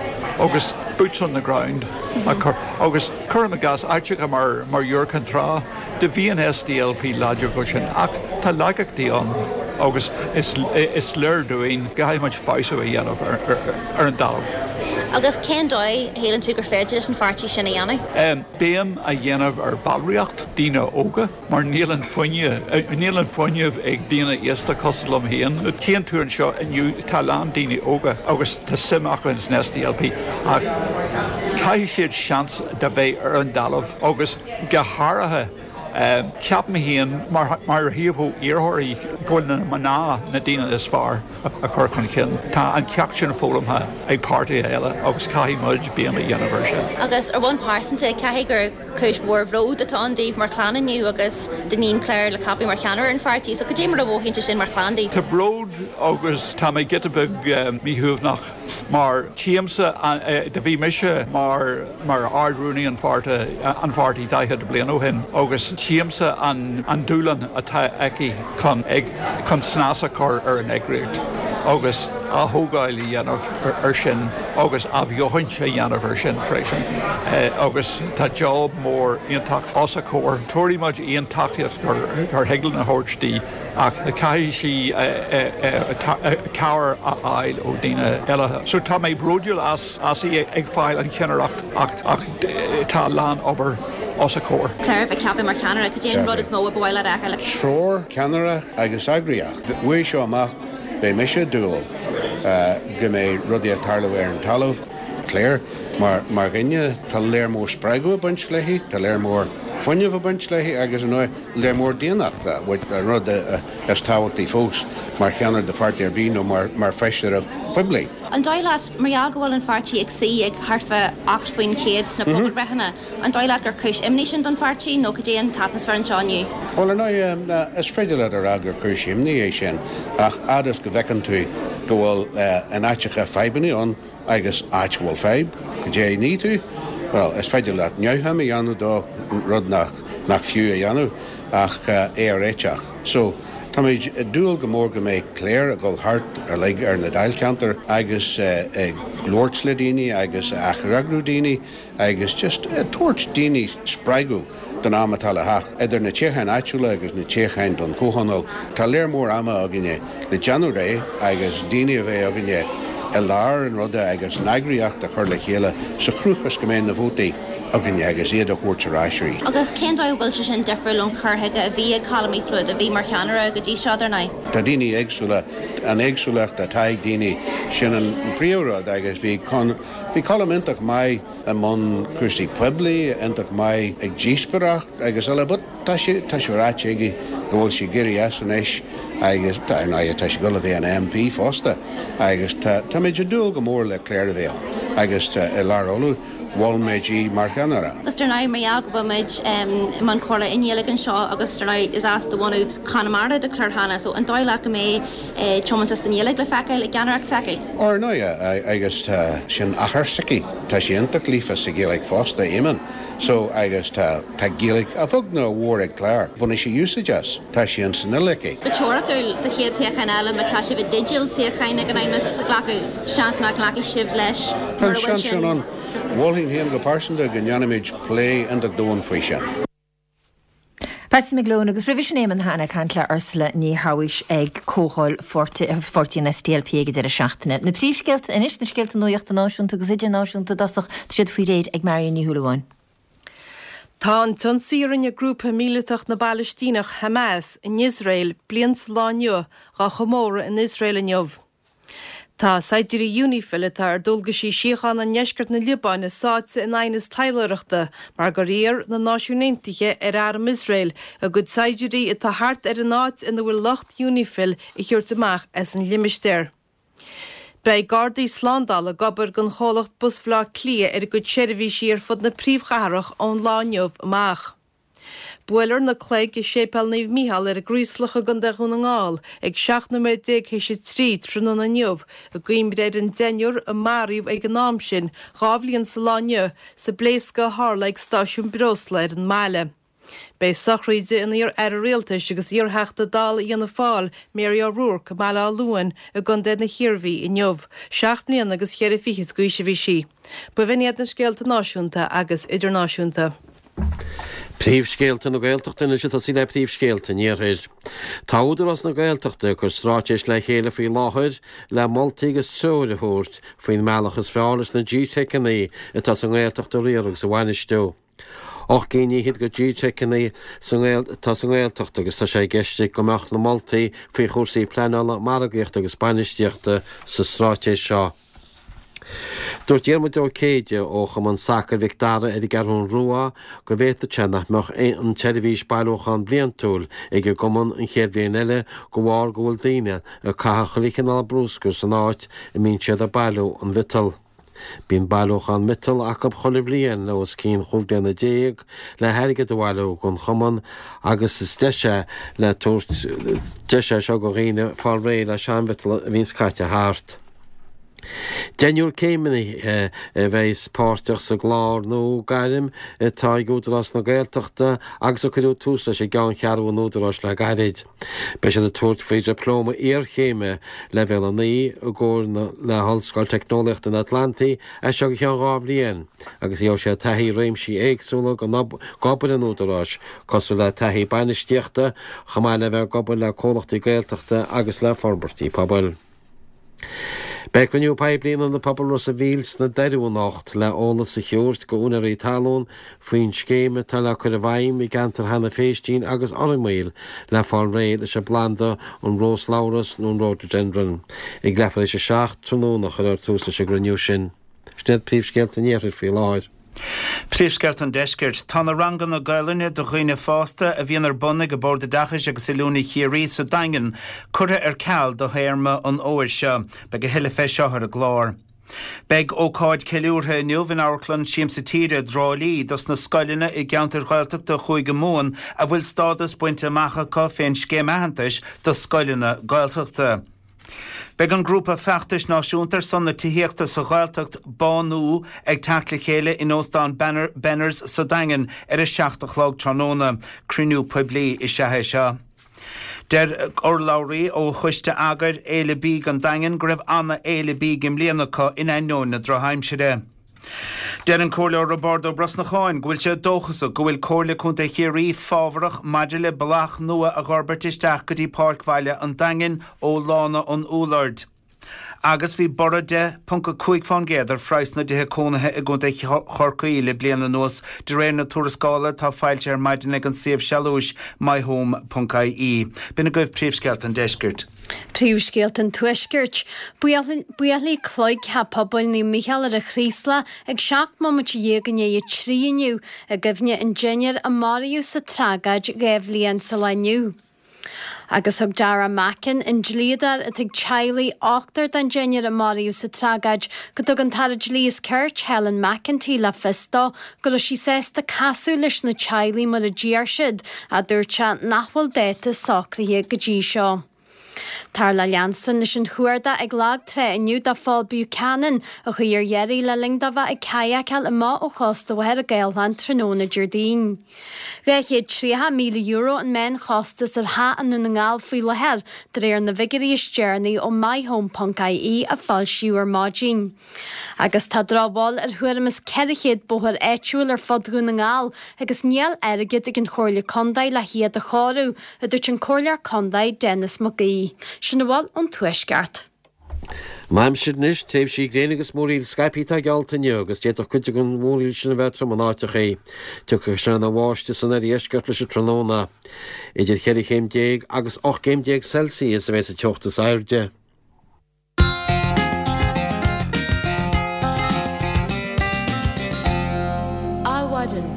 agus boots on the ground a chur agus cuirim i gcás áiteacha mar mar Iúr Cinn Trá, do bhí an SDLP láidir go sin ach tá laigeachtaí ann agus is is léir dúinn go gcaithfidh muid feabhsú a dhéanamh ar ar an dtalamh. Agus cén dóigh a shíleann tú gur féidir leis an pháirtí sin a dhéanamh? Béim a dhéanamh ar ballraíocht daoine óga. Mar níl an fuinneamh, níl an fuinneamh ag daoine aosta cosúil liom féin. Tchíonn tú anseo inniu, tá a lán daoine óga agus tá suim acu in san SDLP ach caithfidh siad seans de bheith ar an dtalamh agus go háirithe, ceapaim féin mar mar thaobh iarrthóirí go bhfuil na mná na daoine is fearr a chur chun cinn. Tá an ceacht sin foghlamtha ag páirtithe eile agus caithfidh muid béim a dhéanamh air sin. Agus ar bhonn pearsanta, caithfidh gur. Cúis mhór bhróid atá ann daoibh mar chlann inniu agus d'iníon Claire le ceapadh mar cheannaire ar an pháirtí. So cad é mar a mhothaíonn sé sin mar chlann daoibh? Tá bród agus tá mé giota beag míshuaimhneach mar tchímse do bhí mise mar mar Ard-Rúnaí an pháirte an pháirtí 40 bliain ó shin agus tchímse an an dúshlán atá aici chun ag chun snas a chur ar an eagraíocht. agus athógáil a dhéanamh ar sin agus athbheochaint a dhéanamh ar sin freisin agus tá job mór iontach os a comhair. Tabharfaidh muid aon tacaíocht gur thig linn a thabhairt di ach caithfidh sí cabhair a fháil ó daoine eile. So tá mé bródúil as í ag fáil an cheannaireacht ach tá a lán obair os a comhair. Claire a bheith ceaptha mar cheannaire, cad é an rud is mó a ba mhaith leat a fheiceáil? Treoir, ceannaireacht agus eagraíocht. Uaidh seo amach beidh mise ag dúil go mbeidh rudaí ag tarlú ar an talamh. Claire, mar mar dhuine, tá léar mór spreagadh ag baint léi, tá léar mór fuinnimh ag baint léi agus, ar ndóigh, léar mór daonnachta, an rud is tábhachtaí fós mar cheannaire de pháirtí ar bith nó mar mar feisire poiblí. An dóigh leat, mar gheall go bhfuil an pháirtí ag suí ag thart fá 8% sna pobalbhreitheanna, An dóigh leat gur cúis imní sin don pháirtí nó cad é an t-atmaisféar anseo inniu? Bhuel, ar ndóigh, is féidir leat a rá gur cúis imní é sin, ach fhad is go bhfeiceann tú go bhfuil in áiteacha fadhbanna ann agus áit a bhfuil fadhb, cad é a ní tú? Bhuel, is féidir leat neamhshuim a dhéanamh dó, rud nach fiú a dhéanamh, ach é a réiteach. So, táimid ag dúil go mór go mbeidh Claire ag dul thart uilig ar na dáilcheantair agus ag labhairt le daoine agus ag eagrú daoine, agus just ag tabhairt daoine spreagadh don am atá le theacht. Idir na toghcháin áitiúla agus na toghcháin don Chomhthionól, tá léar mór ama againne le déanamh réidh agus daoine a bheith againne i lár an ruda agus an eagraíocht a chur le chéile sa chruth is go mbeidh na vótaí againne agus iad a thabhairt ar ais arís. Agus cén dóigh a bhfuil sé sin difriúil ón chur chuige a bhí ag Colum Eastwood, a bhí mar cheannaire go dtí seo, dar ndóigh? Tá daoine éagsúla, an éagsúlacht atá ag daoine, sin an príomhrud agus bhí Bhí Colm iontach maith i mbun cúrsaí poiblí, iontach maith ag díospóireacht agus eile but tá sé, tá sé ráite aige go bhfuil sé ag éirí as anois agus tá, ar ndóigh, tá sé ag dul a bheith ina MP fosta agus tá, táimid ag dúil go mór le Claire a bheith ann agus tá, i Lár Uladh, mhol muid í mar cheannaire. Agus dar ndóigh, mar gheall go bhfuil muid i mbun comhrá i nGaeilge anseo agus dar ndóigh is as do bhunadh Chonamara do Claire cheana, so an dóigh leat go mbeidh tiomantas don Ghaeilge le feiceáil i gceannaireacht s'aici. Ar ndóigh, agus tá sin athair s'aici, tá sé iontach líofa sa Ghaeilge fosta, Éamonn, so agus tá, tá Gaeilge a bheag nó a mhór ag Claire, bainfidh sí úsáid as, tá sé in san fhuil aici. Go teoiriciúil, sa chéad toghchán eile, má tá sibh i dteideal suíocháin ag an Fheidhmeannas a ghlacadh, seans nach nglacfaidh sibh leis Tá an mura bhfuil seans sin sin. ann. Mholfainn féin go pearsanta go ndéanfaimid plé iontach domhain faoi sin. Patsy McGlone agus roimhe sin Éamonn Hanna ag caint le Ursula Ní Shabhaois ag comhdháil pháirtí an SDLP ag an deireadh seachtaine. Na príomhscéalta anois, na scéalta nuachta náisiúnta agus idirnáisiúnta i dtosach, tá siad faoi réir ag Marion Ní Shúilleabháin. Tá an t-ionsaí a rinne grúpa míleatach na bPalaistíneach, Hamas, in Iosrael bliain sa lá inniu dhá chomóradh in Iosrael inniu. Tá saighdiúirí Unifil atá ar dualgaisí síochána i ndeisceart na Liobáine sáite in aighneas taidhleoireachta mar gur iarr na Náisiúin Aontaithe ar arm Iosrael a gcuid saighdiúirí atá thart ar an áit ina bhfuil lucht Unifil a thabhairt amach as an limistéar. Beidh gardaí slándála ag obair don chomhlacht Bus Bhaile Átha Cliath ar a gcuid seirbhísí ar fud na príomhchathrach ón lá inniu amach. Buailfear na cloig i Séipéal Naomh Mícheál ar an gCraoslach i gContae Dhún na nGall ag 17 nóiméad théis 3 tráthnóna inniu i gcuimhne ar an deichniúr a maraíodh ag an am sin 2 bhliain sa lá inniu sa bpléascadh a tharla ag stáisiún breosla ar an mbaile. Beidh sochraid an iar-aire rialtais agus iar-Theachta Dála Fhianna Fáil Mary O'Rourke i mBaile Átha Luain i gContae na hIarmhí inniu. Seacht mbliana agus cheithre fichid d'aois a bhí sí. B'in iad na scéalta náisiúnta agus idirnáisiúnta. Príomhscéalta na Gaeltachta anois ag tosaí le príomhscéalta an Iarthair. Tá Údarás na Gaeltachta ag cur stráitéis le chéile faoi láthair le moltaí agus treoir a thabhairt faoin mbealach is fearr leis na GTeiceanna atá sa nGaeltacht a riar agus a bhainistiú. 8 gcinn fhichead de GTeiceanna atá sa nGaeltacht agus tá sé i gceist go mbeadh na moltaí faoi chúrsaí pleanála, margaíochta agus bainistíochta sa stráitéis seo. Dúirt Diarmuid Ó Céide ó Chumann Sacair Mhic Dara ar an gCeathrú Rua go bhféadfadh sé nach mbeadh an tseirbhís bailiúchán bliantúil ag an gcumann an chéad bhliain eile de bharr go bhfuil daoine ag caitheamh chuile chineál brúscair san áit a mbíonn siad ag bailiú an mhiotail. Bíonn bailiúchán miotail acu chuile bhliain le os cionn chúig bliana déag le hairgead a bhailiú don chumann agus is deis é le tabhairt deis é seo do dhaoine fáil réidh le seanmhiotal a bhíonns caite thart. Deichniúr céimithe a bheas páirteach sa gclár nua gairm atá ag Údarás na Gaeltachta agus a cuireadh tús leis i gceanncheathrú an Údaráis le gairid. Beidh siad ag tabhairt faoi Dhioplóma Iarchéime Leibhéal 9 i gcomhar le hOllscoil Teicneolaíochta an Atlantaigh as seo go ceann 2 bhliain agus gheobhaidh siad taithí i réimsí éagsúla d'obair an Údaráis cosúil le taithí bainistíochta chomh maith le bheith ag obair le comhlachtaí Gaeltachta agus le forbairtí pobail. Beidh cruinniú poiblí in Ionad Pobail Ros a' Mhíl sna Doirí anocht le eolas a thabhairt go úinéirí talún faoin scéim atá le cur i bhfeidhm i gceantar Hannah Phéistín agus Fhormaoil le fáil réidh leis an bplanda an róslabhras nó an rhododendron. Ag leathuair tar éis a 7 tráthnóna a chuirfear tús leis an gcruinniú sin. Sin iad príomhscéalta an iarthair faoi láthair. Príomhscéalta an Deiscirt. Tá na ranganna Gaelainne do dhaoine fásta a bhíonn ar bun ag Bord Oideachais agus Oiliúna Chiarraí sa Daingean curtha ar ceal do théarma an fhómhair seo. Beidh a thuilleadh fé seo ar an gclár. Beidh ócáid ceiliúrtha inniu in Amharclann Siamsa Tíre i dTrá Lí dos na scoileanna i gceantair Ghaeltachta Chúige Mumhan a bhfuil stádas bainte amach acu fén Scéim Aitheantais do Scoileanna Gaeltachta. Beidh an grúpa feachtais náisiúnta ar son na tithíochta sa Ghaeltacht, Bánú, ag teacht le chéile in Óstán Benners sa Daingean ar a 7 a chlog tráthnóna. Cruinniú poiblí is ea é seo. Deir urlabhraí ó choiste eagair Fhéile Bídh an Daingin go raibh ana-fhéile bídh i mbliana acu in ainneoin na drochaimsire. Deir an Comhairleoir Roibeárd Ó Brosnacháin go bhfuil sé dóchasach go bhfuil Comhairle Contae Chiarraí fábharach maidir le bealach nua a dh'fhorbairt isteach go dtí Páirc Bhaile an Daingin ó Lána an Úlloird. Agus bhí borradh 10.5% ar phraghas na dtithe cónaithe i gContae Chorcaí le bliain anuas, de réir na tuarascála atá foilsithe ar maidin ag an suíomh sealúis myhome.ie. B'in agaibh príomhscéalta an deiscirt. Príomhscéalta an Tuaiscirt. Buailfidh cloig Theach Pobail Naomh Mícheál ar an Chraoslach ag 17 mbomaite i ndiaidh a 3 inniu i gcuimhne an deichniúr a maraíodh sa tragóid 2 bhliain sa lá inniu. Agus thug Darragh Mackin, an dlíodóir atá ag teaghlaigh ochtar den deichniúr a maraíodh sa tragóid, go dtug an tAire Dlí is Cirt, Helen McEntee le fios dó go raibh sí sásta casadh leis na teaghlaigh mar a d'iarr siad, ach dúirt sé nach bhfuil dáta socraithe go dtí seo. Táthar le leanstan leis an chuardach ag Lag Trá inniu do Phól Buchanan, a chuaigh ar iarraidh le linn dó bheith ag cadhacáil amach ó chósta Mhachaire Gathlán tráthnóna Déardaoin. €230,000 an meánchostas ar theach i nDún na nGall faoi láthair, de réir na bhfigiúirí is deireanaí ó myhome.ie a foilsíodh ar maidin. Agus tá drochbhail ar thuairim is 400 bóthar áitiúil ar fud Dhún na nGall agus níl airgead ag an Chomhairle Contae le hiad a chóiriú, a dúirt an Comhairleoir Contae Denis Mac Aoidh. Sin a bhfuil ón Tuaisceart. An aimsir anois, tréimhsí gréine agus múraíl scaipthe atá geallta inniu agus d'fhéadfadh cuid den mhúraíl sin a bheith trom in áiteachaí. Tiocfaidh sé ina bháisteach san oirdheisceart leis an tráthnóna. Idir cheithre chéim déag agus 18 gcéim Celsius a bheidh sa teocht is airde. Adhmhaidin.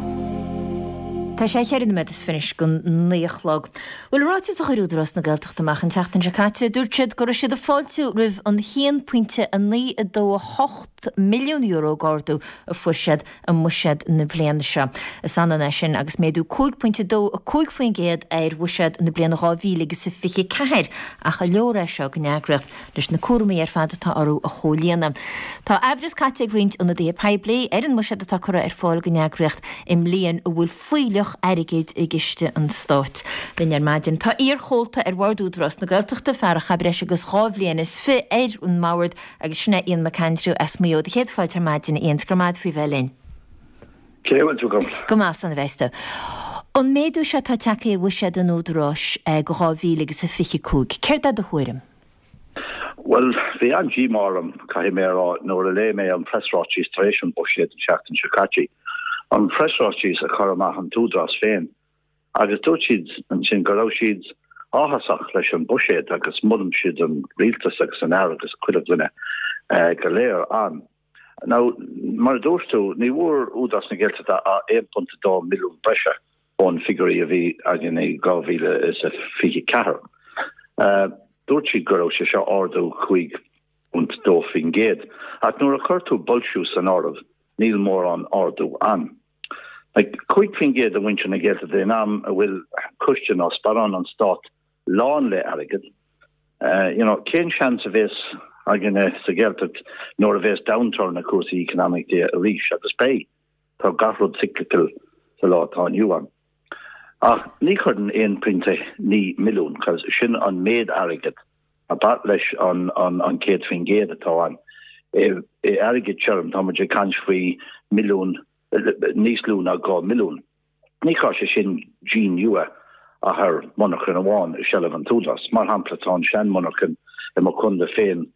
Tá sé cheithre nóiméad is fiche go 9 a chlog. Bhuel, i ráiteas a chuir Údarás na Gaeltachta amach an tseachtain seo caite, dúirt siad go raibh siad ag fáiltiú roimh an €1.928 milliún d'ardú a fuair siad i mbuiséad na bliana seo. Is ionann é sin agus méadú 5.25% ar bhuiséad na bliana 2024, ach an leor é seo don eagraíocht leis na cúraimí ar fad atá orthu a chomhlíonadh? Tá aimhreas caite ag roinnt ionadaithe poiblí ar an mbuiséad atá curtha ar fáil don eagraíocht i mbliain a bhfuil fuílleach airgid i gciste an stáit. Linn ar maidin tá iar-chomhalta ar Bhord Údarás na Gaeltachta, fear a chaith breis agus dhá bhliain is fi ar an mbord, Agus sin é Ian McAndrew as Maigh Eo. Do chéad fáilte ar maidin, a Ian. 's go raibh maith agat faoi bheith linn. Cé bhfuil tú agam? Go maith, slán a bheas tú. An méadú seo atá tagtha ar bhuiséad an Údaráis go 2025, céard é do thuairim? Bhuel, bhí an-díomá orm, caithfidh mé a rá, nuair a léigh mé an preasráiteas tar éis an bhuiséid an tseachtain seo caite. An preasráiteas a chuir amach an tÚdarás féin. Agus dúirt siad ansin go raibh siad áthasach leis an buiséad agus molann siad an rialtas agus an Aire agus chuile dhuine go léir ann. Now, mar a dúirt tú, ní bhfuair Údarás na Gaeltachta ach 1.2 milliún breise ón figiúirí a bhí againn i 2024. Dúirt siad go raibh sé seo ardú 5.2%. Ach nuair a chuir tú boilsciú san áireamh, níl mórán ardú ann. Like, 5% do mhuintir na Gaeltachta in am a bhfuil coiste nó sparán an Stát lán le airgead, you know, cén seans a bhéas. againne sa Ghaeltacht nuair a bhéas downturn i cúrsaí economically arís, agus beidh, tá gach rud cyclical sa lá atá inniu ann. Ach ní chuireann 1.9 milliún, cos sin an méid airgead a ba leis an 100% atá ann. I airgead tirim tá muid ag caint faoi milliún, níos lú ná 2 milliún. Ní chuirfidh sé sin díon nua ach ar mhonarchain amháin i seilbh an tÚdarás. Mar shampla, tá an seanmhonarchain i mo chontae féin,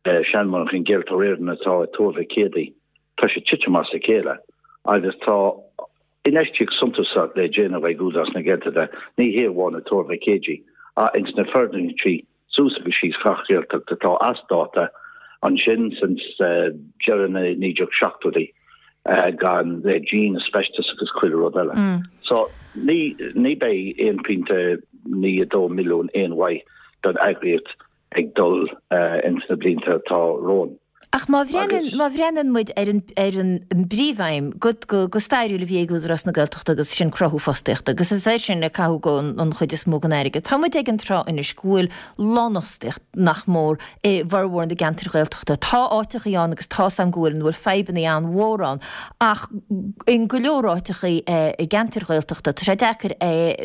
seanmhonarchain Gaeltarra Éireann atá i Tuar Mhic Éadaigh, tá sé titim as a chéile agus tá infheistíocht suntasach le déanamh ag Údarás na Gaeltachta, ní hé amháin i Tuar Mhic Éadaigh ach ins na foirgnití suas agus síos gach Gaeltacht atá as dáta ansin since deireadh na 1970idí gan le díon asbestos agus chuile rud eile. So ní ní beidh 1.92 milliún aon mhaith don eagraíocht ag dul ins na blianta atá romhainn. Ach má bhreathnaíonn, má bhreathnaíonn muid ar an, ar an bpríomhaidhm go, go, go stairiúil a bhí ag Údarás na Gaeltachta agus sin cruthú fostaíochta agus is air sin a caitheadh an chuid is mó den airgead. Tá muid ag an tráth anois go bhfuil lánfhostaíocht nach mór i bhformhór na gceantar Ghaeltachta. Tá áiteachaí ann agus tá's a'm go bhfuil, ina bhfuil fadhbannaí an-mhór ann ach in go leor áiteachaí i gceantair Ghaeltachta tá sé deacair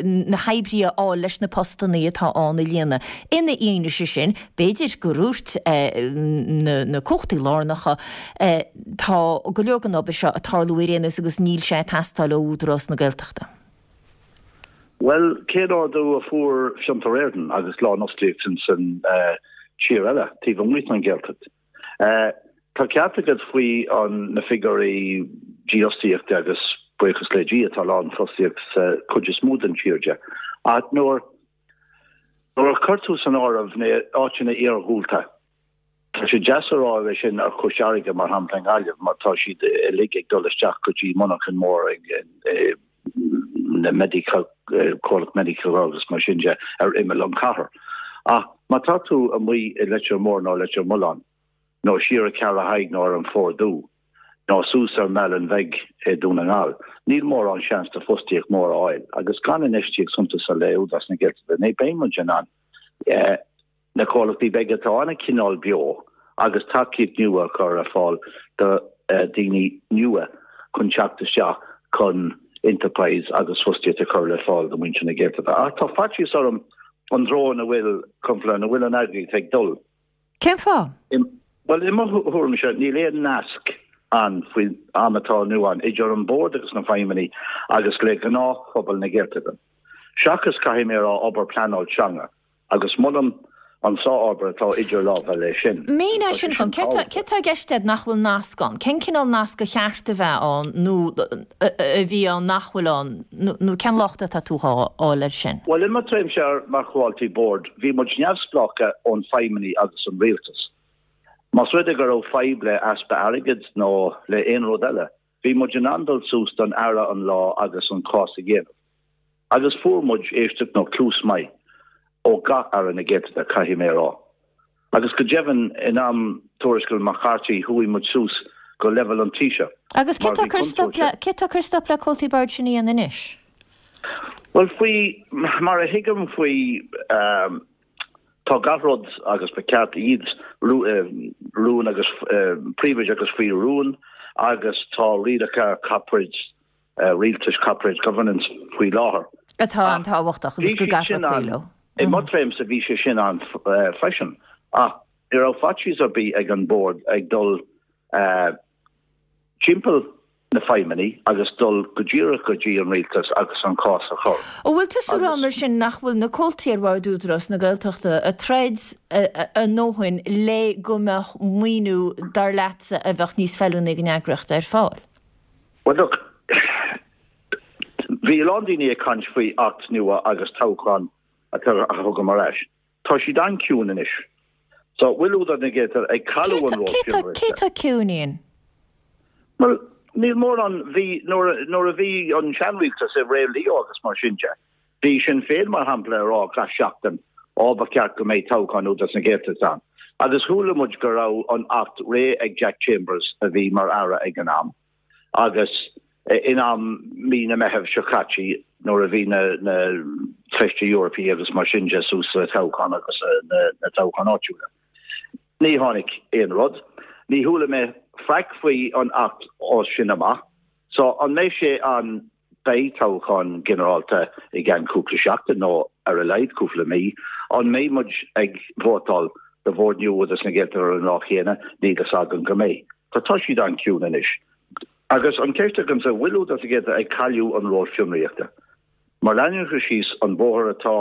na hoibrithe a fháil leis na postannaí atá ann a líonadh. Ina fhianaise sin, B'fhéidir gur dhúirt na cumhachtaí lárnacha, tá go leor den obair seo ag tarlú ar aon nós agus níl sé ag teastáil ó Údarás na Gaeltachta. Bhuel, cén ardú a fuair Fiontar Éireann agus lánfhostaíocht ins an tír eile, taobh amuigh den Ghaeltacht? Tá ceart agat faoi na figiúirí dífhostaíochta agus buíochas le Dia tá lánfhostaíocht sa chuid is mó den tír de. Ach nuair Nuair a chuir tú san áireamh na áiteanna iarghúlta, tá sé deas a rá é sin ar Chois Fharraige, mar shampla i nGaillimh, mar tá siad uilig ag dul isteach go dtí monarchain mór ag na Medica, comhlacht Medica agus mar sin de ar imeall an chathair. Ach má tá tú amuigh i Leitir Móir nó Leitir Mealláin, nó siar i Ceathrú Thaidhg nó ar an Phort Dubh, nó suas ar an mBealach Bheag i Dún na nGall. Níl mórán seans de fostaíocht mór a fháil agus gan infheistíocht suntasach le Údarás na Gaeltachta ní beidh muid in ann na comhlachtaí beaga atá ann a choinneáil beo agus tacaíocht nua a chur ar fáil do daoine nua chun teacht isteach chun enterprise agus fostaíocht a chur le fáil do mhuintir na Gaeltachta. Ach tá faitíos orm an treo ina bhfuil, ina bhfuil an eagraíocht ag dul. Cén fáth? Bhuel, i mo thuairimse, níl aon nasc ann faoin am atá inniu ann idir an Bord agus na feidhmeannaigh agus le gnáthphobal na Gaeltachta. Seachas, caithfidh mé a rá, obair pleanáil teanga, agus molaim an sárobair atá idir lámha le sin. Mínigh sin dhom. Céard tá i gceist agat nach bhfuil nasc ann? Cén cineál nasc a cheart a bheith ann nó a bhí ann nach bhfuil ann nó cén locht atá tú dhá fháil air sin? Bhuel, i mo thréimhse mar chomhaltaí boird, bhí muid neamhspleách ón feidhmeannaigh agus an rialtas. Más rud é go raibh fadhb le easpa airgid nó le aon rud eile, bhí muid in ann dul suas don Aire an lá agus an cás a dhéanamh. Agus fuair muid éisteacht nó cluas maith ó gach Aire na Gaeltachta, caithfidh mé a rá. Agus go deimhin, in am tuarascáil McCarthy, chuaigh muid suas go leibhéal an Taoiseach. Agus cé tá ag cur stop le, cé tá ag cur stop le comhaltaí boird sin a dhéanamh anois? Bhuel, faoi mar a thuigim faoi, tá gach rud agus ba cheart iad rún agus príobháid agus faoi rún agus tá rialacha corporate rialtais corporate governance faoi láthair. Atá an-tábhachtach agus go gcaithfear cloí leo. I mo thréimhse bhí sé sin ann freisin ach ní raibh faitíos ar bith ag an Bord ag dul timpeall na feidhmeannaigh agus dul go díreach go dtí an rialtas agus an cás a chur. An bhfuil tusa ag rá mar sin nach bhfuil na comhaltaí ar bhord Údarás na Gaeltachta ag troid a ndóthain le go mbeadh maoiniú dar leatsa a bheadh níos feiliúnaí don eagraíocht ar fáil? Bhuel look, bhí a lán daoine ag caint faoi Acht nua agus toghchán a thugaim ar ais. Tá siad an-ciúin anois. So, bhfuil Údarás na Gaeltachta ag cailleadh an ról sin? Cé tá ciúin, Ian? Bhuel, níl mórán, bhí, nuair a bhí an seanrialtas i ré Leo agus mar sin de, Bhí Sinn Féin, mar shampla, ag rá gach seachtain, Á, ba cheart go mbeidh toghchán Údarás na Gaeltachta ann. Agus chuala muid go raibh an Acht réidh ag Jack Chambers a bhí mar Aire ag an am. Agus in am mí na Meitheamh seo caite nuair a bhí na na Coistí Eorpaí agus mar sin de suas le toghchán agus na toghcháin áitiúla. Ní tháinig aon rud. Ní chuala mé faic faoi an Acht ó sin amach. So, an mbeidh sé an beidh toghchán ginearálta i gceann cúpla seachtain nó ar a laghad cúpla mí? An mbeidh muid ag vótáil do Bhord nua Údarás na Gaeltachta ar an lá chéanna? Níl fhios agam go mbeidh. Tá tá siad an-ciúin anois. Agus an ceist agamsa, bhfuil Údarás na Gaeltachta ag cailleadh an ról fionraíochta? Má leanann siad síos an bóthar atá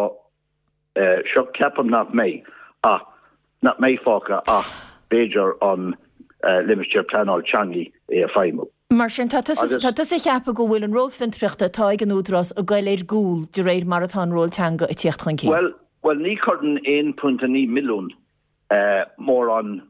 seo ceapaim nach mbeidh ach nach mbeidh fágtha ach b'fhéidir an limistéar pleanáil teangaí é a feidhmiú. Mar sin, tá tusa tá tusa ag ceapadh go bhfuil an ról fiontraíochta atá ag an Údarás ag goil ar gcúl de réir mar atá an ról teanga ag tíocht chun cinn. Bhuel, bhuel ní chuireann 1.9 milliún mórán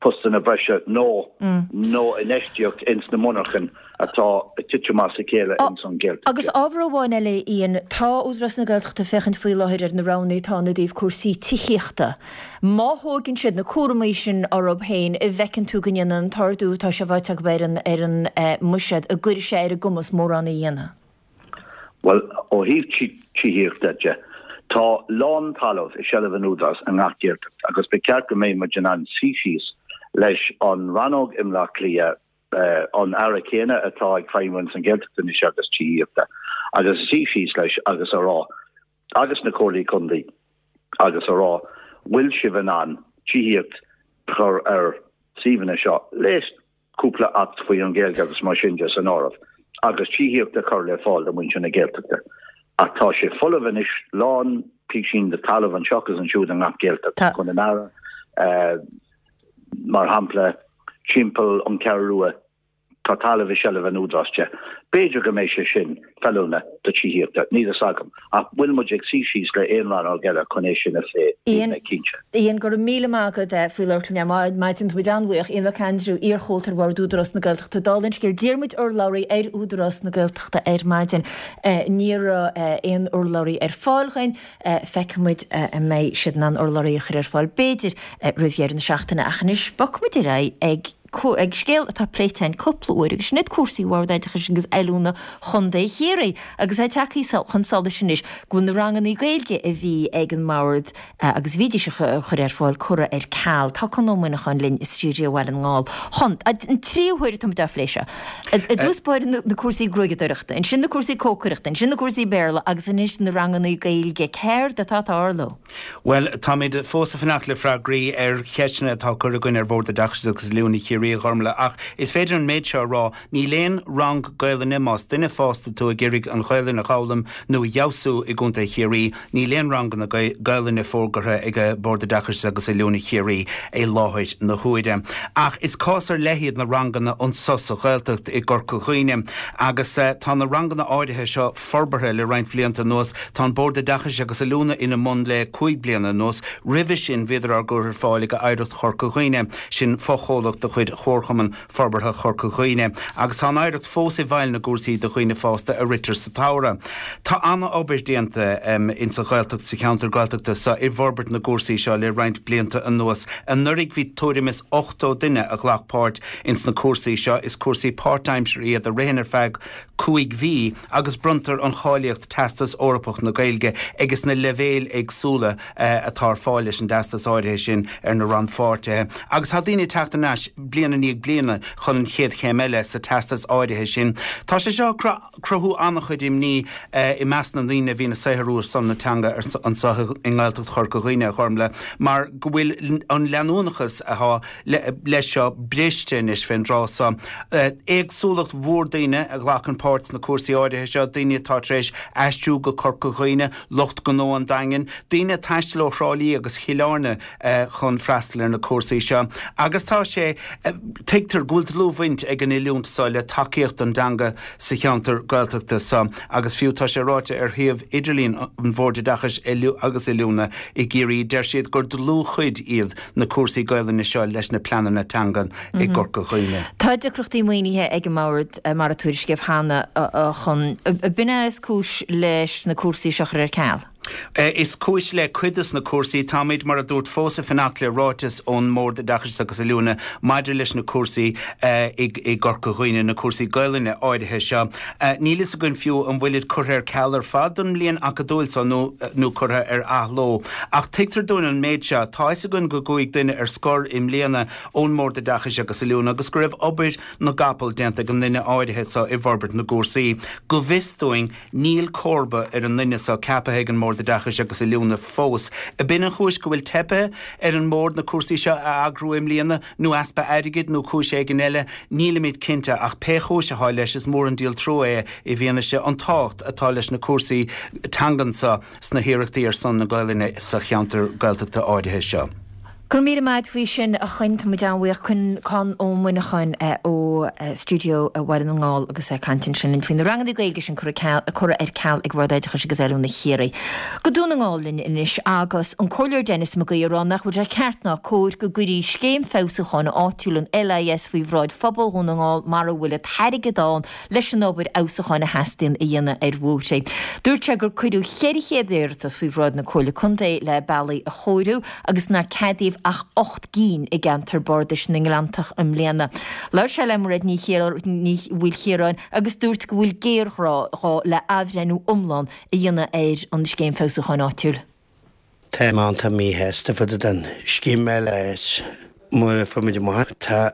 postanna breise nó nó infheistíocht ins na monarchain atá ag titim as a chéile ins an Ghaeltacht. Agus ábhar amháin eile, Ian, tá Údarás na Gaeltachta ag féachaint faoi láthair ar na roghanna atá ann i dtaobh cúrsaí tithíochta. Má thóigeann siad na cúramaí sin orthu féin, an bhfeiceann tú go ndéanann an t-ardú atá sé faighte acu ar an ar an mbuiséad, an gcuirfidh sé ar a gcumas mórán a dhéanamh? Bhuel, ó thaobh tithíochta de, tá lán talamh i seilbh an Údarás i ngach Gaeltacht agus ba cheart go mbeidh muid in ann suí síos leis an rannóg i mBleá Cliath, an Aire céanna atá ag feidhmiú ins an Ghaeltacht anois agus tithíochta, agus suí síos leis agus a rá, agus na comhairlí contae, agus a rá, bhfuil sibh in ann tithíocht a chur ar suíomhanna seo le cúpla Acht faoi an Ghaeilge agus mar sin de san áireamh, agus tithíocht a chur le fáil do mhuintir na Gaeltachta. Ach tá sé folamh anois, lán písín de talamh anseo agus ansiúd i ngach Gaeltacht, Conamara, mar shampla, timpeall an Cheathrú Rua, tá talamh i seilbh an Údaráis de. B'fhéidir go mbeidh sé sin feiliúnach do tithíochta, níl fhios agam. Ach bhfuil muid ag suí síos le aon rannóg eile chun é sin a phlé? Níl mé cinnte. Ian, go raibh míle maith agat faoi labhairt linn ar maidin. Tá muid an-bhuíoch. Ian Mac Aindriú, iar-chomhalta ar Bhord Údarás na Gaeltachta. Dála an scéil, d'iarr muid urlabhraí ar Údarás na Gaeltachta ar maidin. Ní raibh aon urlabhraí ar fáil dhuinn. Feicfidh muid an mbeidh siad in ann urlabhraí a chur ar fáil, b'fhéidir, roimh dheireadh na seachtaine. Ach anois, bogfaidh muid ar aghaidh ag. ag scéal atá pléite againn cúpla uair agus sin iad cúrsaí Bhord Oideachais agus Oiliúna Chontae Chiarraí agus é tagtha chun solais anois go bhfuil na ranganna Gaeilge a bhí ag an mBord agus a bhídís a chur ar fáil curtha ar ceal. Tá Conn Ó Muineacháin linn i stiúideo Bhaile na nGall. Chon, an tríú huair atá muid á phlé seo. I dtús báire na cúrsaí gruaigeadóireachta, ansin na cúrsaí cócaireachta, ansin na cúrsaí Béarla agus anois na ranganna Gaeilge. Céard atá ag tarlú? Bhuel, táimid fós ag fanacht le freagraí ar cheisteanna atá curtha againn ar Bhord Oideachais agus Oiliúna Chiarraí, a Ghormlaith, ach is féidir an méid seo a rá, níl aon rang Gaelainne, más duine fásta tú ag iarraidh an Ghaelainn a dh'fhoghlaim nó a fheabhsú i gContae Chiarraí, níl aon ranganna Gaelainne fógartha ag Bord Oideachais agus Oiliúna Chiarraí i láthair na huaire. Ach is cás ar leith iad na ranganna anso sa Ghaeltacht i gCorca Dhuibhne agus tá na ranganna áirithe seo forbartha le roinnt bhlianta anuas. Tá an Bord Oideachais agus Oiliúna ina mbun le 5 bliana anuas. Roimhe sin bhíodar á gcur ar fáil ag Oidhreacht Chorca Dhuibhne, sin fochomhlacht de chuid Chomharchumann Forbartha Chorca Dhuibhne, agus tá an Oidhreacht fós i bhfeighil na gcúrsaí do dhaoine fásta a ritear sa tsamhradh. Tá ana-obair déanta insa Ghaeltacht, sa cheantar Gaeltachta so i bhforbairt na gcúrsaí seo le roinnt blianta anuas. Anuraidh bhí tuairim is 80 duine a ghlac páirt ins na cúrsaí seo. Is cúrsaí páirtaimseartha iad a ritheann ar feadh 5 mhí agus bronntar an cháilíocht Teastas Eorpach na Gaeilge agus na leibhéil éagsúla atá ar fáil leis an dteastas áirithe sin ar na rannpháirtithe. Agus tá daoine ag teacht thar n-ais bliain i ndiaidh bliana chun an chéad chéim eile sa teastas áirithe sin. Tá sé seo ag cruthú an-chuid imní i measc na ndaoine a bhíonn ag saothrú ar son na teanga anseo i nGaeltacht Chorca Dhuibhne, a Ghormlaith, mar go bhfuil an leanúnachas atá leis seo briste anois fén dtráth so. Éagsúlacht mhór daoine a ghlacann páirt sna cúrsaí áirithe seo, daoine atá tar éis aistriú go Corca Dhuibhne, lucht gnó an Daingin, daoine ag taisteal ó Thrá Lí agus Chill Airne chun freastal ar na cúrsaí seo. Agus tá sé, tuigtear go bhfuil dlúthbhaint ag an oiliúint so le tacaíocht don dteanga sa cheantar Gaeltachta so agus fiú tá sé ráite ar shuíomh idirlín an Bhoird Oideachais agus Oiliúna i gCiarraí, deir siad gur dlúthchuid iad na cúrsaí Gaelainne seo leis na pleananna teangan i gCorca Dhuibhne. Tá deacrachtaí maoinithe ag an mBord, mar a tuairiscíodh cheana, a Chon. B'in é is cúis leis na cúrsaí seo a chur ar ceal? Is cúis le cuid de na cúrsaí. Táimid, mar a dúrt, fós ag fanacht le ráiteas ón mBord Oideachais agus Oiliúna maidir leis na cúrsaí i gCorca Dhuibhne, na cúrsaí Gaelainne áirithe seo. Níl fhios againn fiú an bhfuilid curtha ar ceal ar fad don mbliain acadúil so nó curtha ar athló. Ach tuigtear dúinn an méid seo, tá fhios againn go gcuaigh duine ar scor i mbliana ón mBord Oideachais agus Oiliúna agus go raibh obair na gcapall déanta ag an nduine áirithe so i bhforbairt na gcúrsaí. Go bhfios dúinn, níl comharba ar an nduine so ceapaithe ag an mBord Oideachais agus Oiliúna fós. Ab in an chúis go bhfuil teipthe ar an mBord na cúrsaí seo a eagrú i mbliana, nó easpa airgid nó cúis éigin eile, nílimid cinnte, ach pé chúis atá leis is mór an díol trua é i bhfianaise an tábhacht atá leis na cúrsaí teangan so sna hiarrachtaí ar son na Gaolainne sa cheantar Gaeltachta áirithe seo. Go raibh míle maith a't faoi sin, a Choinn. Tá muid an-bhuíoch. Conn Ó Muineacháin ó stiúideo Bhaile na nGall agus é ag caint ansin linn faoi na ranganna Gaeilge sin curtha ar ceal ag Bord Oideachais agus Oiliúna Chiarraí. Go Dún na nGall linn anois agus an Comhairleoir Denis Mac Aoidh ag rá nach bhfuil sé ceart ná cóir go gcuirí scéim feabhsúcháin áitiúil an LIS faoi bhráid phobal Dhún na nGall mara bhfuil an t-airgead ann leis an obair fheabhsúcháin a theastaíonn a dhéanamh ar bhóithre. Dúirt sé gur cuireadh 400 iarratas faoi bhráid na Comhairle Contae le bealaí a chóiriú agus nár ceadaíodh ach 8 gcinn i gceantar bardais na nGleanntach i mbliana. Labhair sé le Mairéad Ní Mhaoilchiaráin agus dúirt go bhfuil géarghá le athbhreithniú iomlán a dhéanamh ar an Scéim Feabhsúcháin Áitiúil. Tá mé iontach míshásta fá dtaobh den scéim LIS mar a fuair muid amach. Tá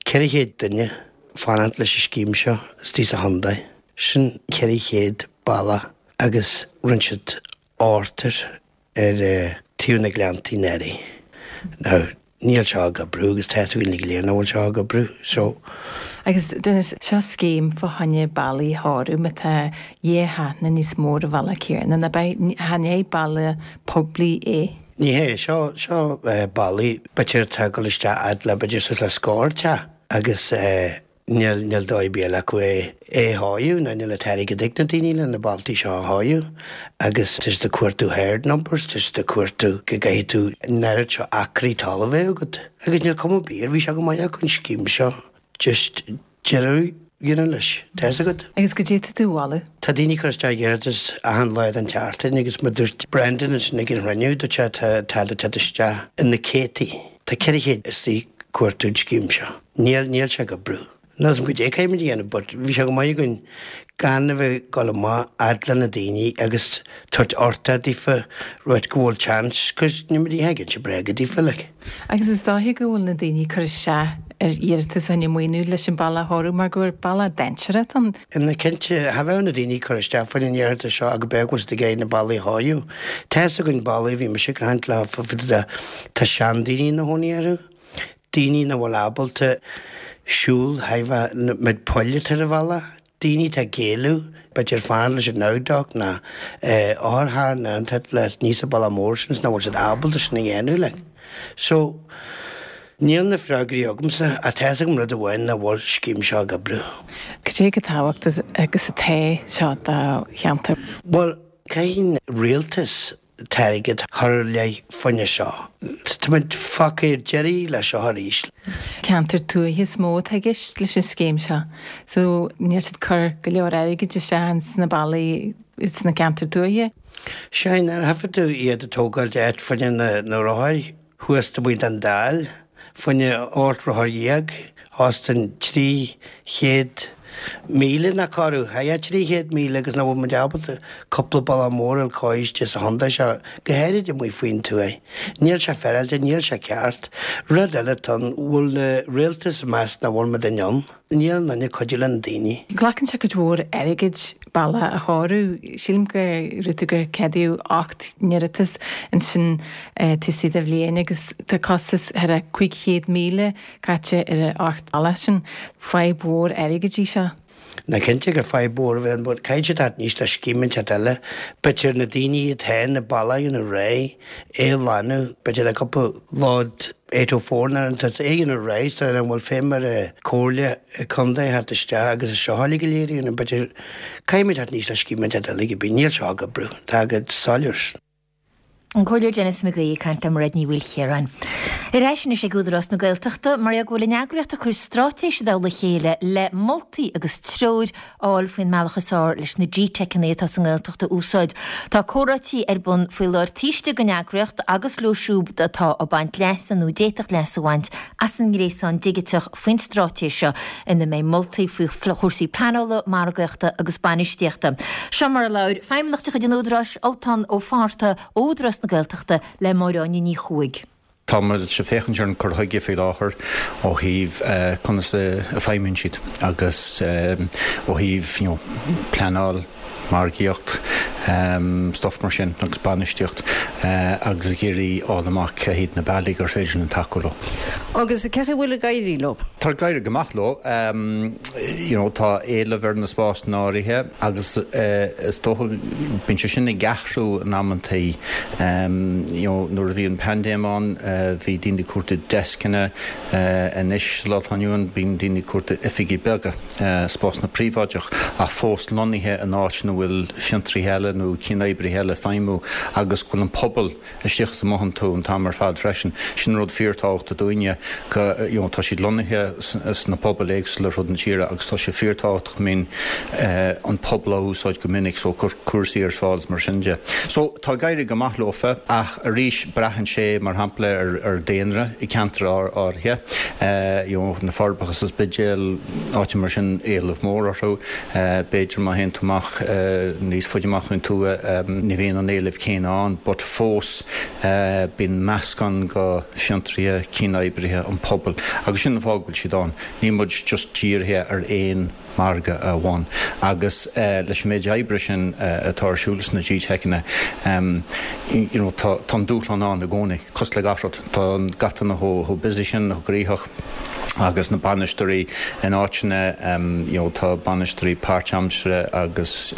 400 duine fanacht leis an scéim seo istigh sa chontae. Sin 400 bealach agus rinne siad ochtar ar taobh na Gleanntaí anuraidh. Now, níl seo ag oibriú agus tá 'fhios againn go léir nach bhfuil seo ag oibriú. So. Agus Denis, seo scéim fá choinne bealaí a chóiriú má tá dhá haithne níos mó ar an bhealach céanna, ná beidh, chan é bealach poiblí é. Ní hé, seo, seo bealaí, b'fhéidir atá ag dul isteach fhad le, b'fhéidir suas le scór teach agus níl, níl dóigh ar bith eile acu é, é a chóiriú ná níl an t-airgead ag na daoine le na bealtaí seo a chóiriú agus tá siad ag cuartú herd numbers, tá siad ag cuartú go gcaithfidh tú an oiread seo acraí talaimh a bheith agat agus níl cuma ar bith air, bhí sé go maith acu an scéim seo just deireadh a dhéanamh leis, tá 'fhios agat. Agus goidé tá tú a mholadh. Tá daoine ag cur isteach iarratas achan lá den tseachtain agus mar dúirt Brendan ansin ag an chruinniú, dúirt sé tá, tá le teacht isteach in na céadtaí. Tá 400 istigh ag cuartú an scéim seo. Níl, níl sé ag oibriú. Níl 'fhios a'm goidé caithfimid a dhéanamh but bhí sé go maith againn gan a bheith ag dul amach fhad le na daoine agus tabhairt uchtach daofa rud go bhfuil chance 'cause níl muid ag inse bréaga daofa like. Agus is dóiche go bhfuil na daoine ag cur isteach ar iarratas fá choinne maoiniú leis an bealach a chóiriú mar gur bealach dainséarach atá ann. Ina cinnte, cha bheadh na daoine ag cur isteach fá choinne an iarratas seo ach go b'fhéidir go bhfuil siad ag iarraidh na bealaí a chóiriú. Tá 'fhios againn bealaí, bhí mise ag caint le tá seandaoine ina chónaí orthu. daoine nach bhfuil ábalta siúl thar an méid poill atá ar an bhealach, daoine atá ag éalú, b'fhéidir fanacht leis an abduct ná otharcharr ná an t le níos an bealach mór sin is nach bhfuil siad ábalta sin a dhéanamh like. So, níl na freagraí agamsa ach tá 'fhios agam rud amháin nach bhfuil scéim seo ag oibriú. Cad é chomh tábhachtach agus atá seo do cheantar? Bhuel, caithfidh an rialtas t-airgead a chur i leith fá choinne seo. Táimid fágtha ar deireadh leis seo arís. Ceantar tuaithe is mó atá i gceist leis an scéim seo so níl siad ag cur go leor airgid isteach ins na bealaí sna ceantair tuaithe. Sea, nuair a thaifead tú iad ag tógáil áit fá choinne na rothair, thuas taobh amuigh den Dáil, fá choinne 18 rothar, os cionn 300,000 nach corradh, haigh 300,000 agus nach bhfuil muid ábalta cúpla bealach mór a fháil istigh sa chontae seo, go háirid amuigh faoin tuaith. Níl sé féaráilte, níl sé ceart. Rud eile atá ann, bhfuil na rialtas ag meas nach bhfuil muid in ann. Níl aon duine ag cuidiú le na daoine. Glacann sé cuid mhór airgid bealach a chóiriú. Sílim go raibh tú gur ceadaíodh 8 n-iarratas ansin taobh istigh de bhliain agus tá costas thar a 500,000 caite ar an 8 bealach sin. Fadhb mhór airgid í seo. Ná cinnte gur fadhb mhór a bheith ann but caithfidh siad teacht aníos le scéim inteacht eile. B'fhéidir na daoine atá na bealaí ina réidh é a ghlanadh, b'fhéidir le cúpla load 804 nó an é a dhéanamh réidh so an bhfuil feidhm ar an comhairle contae theacht isteach agus é seo uilig go léir a dhéanamh b'fhéidir caithfimid teacht aníos le scéim inteacht eile cibé níl seo ag oibriú tá go soiléir. An Comhairleoir Denis McGee ag caint le Mairéad Ní Mhaoilchiaráin. Ar ais anois ag Údarás na Gaeltachta, mar go bhfuil an eagraíocht ag cur straitéis i dtoll a chéile le moltaí agus treoir a fháil faoin mbealach is fearr leis na GTeiceanna atá sa nGaeltacht a úsáid. Tá comhráití ar bun faoi láthair taobh istigh den eagraíocht agus leo siúd atá ag baint leasa nó a d'fhéadfadh leas a bhaint as an ngréasán digiteach faoin straitéis seo ina mbeidh moltaí faoi chúrsaí pleanála, margaíochta agus bainistíochta. Seo mar a labhair Feidhmeannach de chuid an Údaráis, Ultán Ó Fátharta ó Údarás na Gaeltachta le Máire Áine Ní Chuaig. Tá muid ag féachaint ar an cur chuige faoi láthair ó thaobh conas a feidhmíonn siad agus ó thaobh you know pleanáil, margaíocht, stuff mar sin agus bainistíocht agus ag iarraidh fháil amach cé hiad na bealaí gur féidir linn tacú leo. Agus cé chaoi a bhfuil ag éirí leo? Tá ag éirí go maith leo. You know tá éileamh ar na spásanna áirithe agus is dócha bíonn sé sin ag athrú in amantaí. You know nuair a bhí an paindéim ann bhí daoine ag cuartú deascanna, anois sa lá atá inniu ann bíonn daoine ag cuartú oifigí beaga. spásanna príobháideach ach fós lonnaithe in áit ina bhfuil fiontraithe eile nó cianoibrithe eile ag feidhmiú agus go bhfuil an pobal istigh is amuigh iontu an t-am ar fad freisin. Sin rud fíorthábhachtach dúinne go you know tá siad lonnaithe sna pobail éagsúla ar fud na tíre agus tá sé fíorthábhachtach go mbíonn an pobal á úsáid go minic so cur cúrsaí ar fáil is mar sin de. So tá ag éirí go maith leofa ach arís braitheann sé mar shampla ar ar daonra i gceantar áirithe you know na Forbacha is an Spidéal, áiteanna mar sin, éileamh mór orthu. B'fhéidir má théann tú amach níos faide amach faoin tuath ní bhíonn an éileamh céanna ann but fós bíonn meascán go fiontraithe, cianoibrithe, an pobal agus sin an fáth go bhfuil siad ann. Níl muid just dírithe ar aon margadh amháin agus leis an méid oibre sin atá ar siúl sna GTeiceanna you know tá an dúshlán ann i gcónaí, cosúil le gach rud. Tá gach duine chomh busy sin, chomh gnoitheach agus na bainisteoirí in áiteanna you know tá bainisteoirí páirtaimseartha agus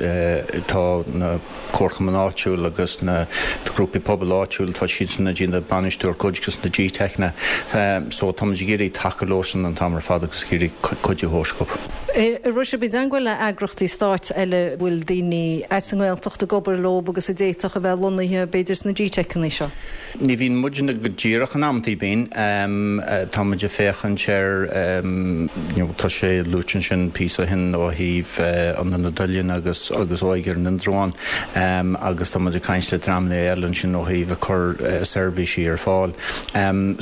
tá na comharchumainn áitiúil agus na grúpaí pobail áitiúil tá siadsan ag déanamh bainistiú ar cuid de na GTeiceanna so tá muid ag iarraidh tacú leosan an t-am ar fad agus ag iarraidh cuidiú a thabhairt dhóibh. An raibh sibh i dteangmháil le eagrachtaí stáit eile a bhfuil daoine as an nGaeltacht ag obair leo agus a d'fhéadfadh a bheith lonnaithe b'fhéidir sna GTeiceanna seo? Ní bhíonn muidne go díreach in amantaí bíonn. Tá muid ag féachaint ar, you know, tá sé luaite ansin píosa ó shin ó thaobh Ionad Oileáin agus agus Óige ar an Indreabhán agus tá muid ag caint le dreamanna eile ansin ó thaobh ag cur seirbhísí ar fáil.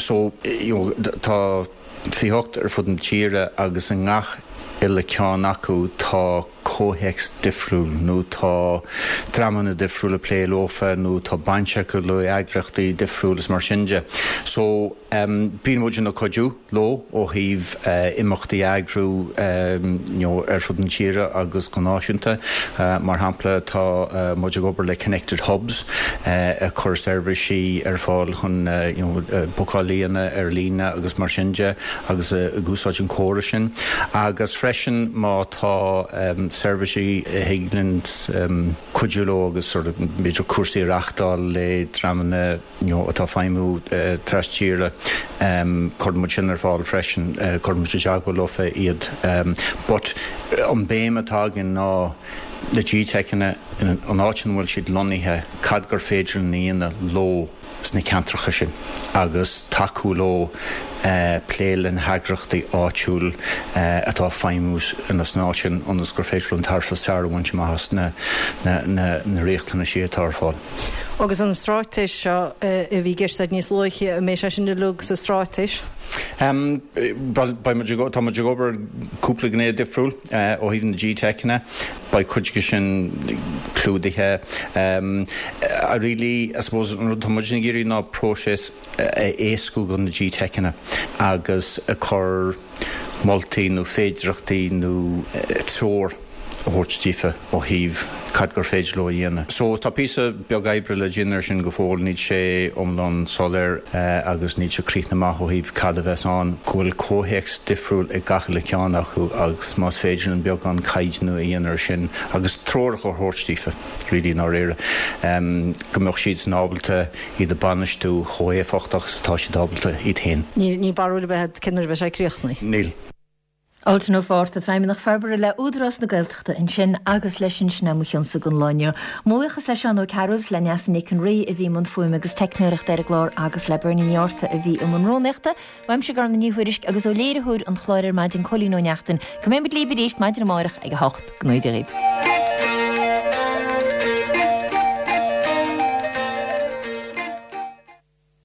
So, you know, tá 28 ar fud na tíre agus i ngach uile ceann acu tá comhthéacs difriúil nó tá dreamanna difriúla ag plé leofa nó tá baint acu le eagraíochtaí difriúil is mar sin de. So bíonn muid ag cuidiú leo ó thaobh imeachtaí a eagrú you know ar fud na tíre agus go náisiúnta. Mar shampla tá muid ag obair le Connected Hubs ag cur seirbhísí ar fáil chun you know bookáil a dhéanamh ar líne agus mar sin de. agus ag úsáid an córas sin agus freisin má tá seirbhísí a thig linn cuidiú leo agus sort of b'fhéidir cúrsaí a reachtáil le dreamanna you know atá ag feidhmiú tras tíre cuireann muid sin ar fáil freisin, cuireann muid i dteagmháil leofa iad. But an béim atá againn ná na GTeiceanna an áit ina bhfuil siad lonnaithe cad gur féidir linn a dhéanamh leo. sna ceantracha sin agus tacú leo plé le na heagraíochtaí áitiúil atá ag feidhmiú san áit sin ionas gur féidir leo an tairbhe is fearr a bhaint amach as na riachtanaisí atá ar fáil. Agus an straitéis seo a bhí i gceist agat níos luaithe, an mbeidh sé sin uilig sa straitéis? Bhuel, beidh muid ag, tá muid ag obair ar cúpla gné difriúil ó thaobh na GTeiceanna. Beidh cuid de sin clúdaithe. Really, I suppose, an rud atá muid ag iarraidh ná próiseas a éascú do na GTeiceanna agus ag cur moltaí nó féidireachtaí nó treoir a thabhairt daofa ó thaobh cad gur féidir leo a dhéanamh. So tá píosa beag oibre le déanamh ar sin go fóill, níl sé iomlán soiléir agus níl sé críochnaithe amach ó thaobh cad a bheas ann, go bhfuil comhthéacs difriúil ag gach uile ceann acu agus más féidir linn beagán caighdeánú a dhéanamh ar sin agus treoracha a thabhairt daofa, really i ndáiríre, go mbeadh siadsan ábalta iad a bhainistiú chomh héifeachtach is atá siad ábalta iad féin. Níl barúil ar bith agat cén uair a bheidh sé críochnaithe? Níl. Ultan Ó Fátharta, Feidhmeannach Forbartha le Údarás na Gaeltachta ansin agus leis sin sin é mo chionsa don lá inniu. Mo bhuíochas le Seán Ó Cearúil is le Neasa Nic an Rí a bhí i mbun fuaime agus teicneoireachta ar an gclár agus le Bernie Ní Fhátharta a bhí i mbun rúnaíochta. Uaimse Gormlaith Ní Thuairisg agus ó léiritheoir an chláir ar maidin Cóilín Ó Neachtain go mbeidh muid libh arís maidin amárach ag a 8. Go ngnóthaí Dia dhaoibh.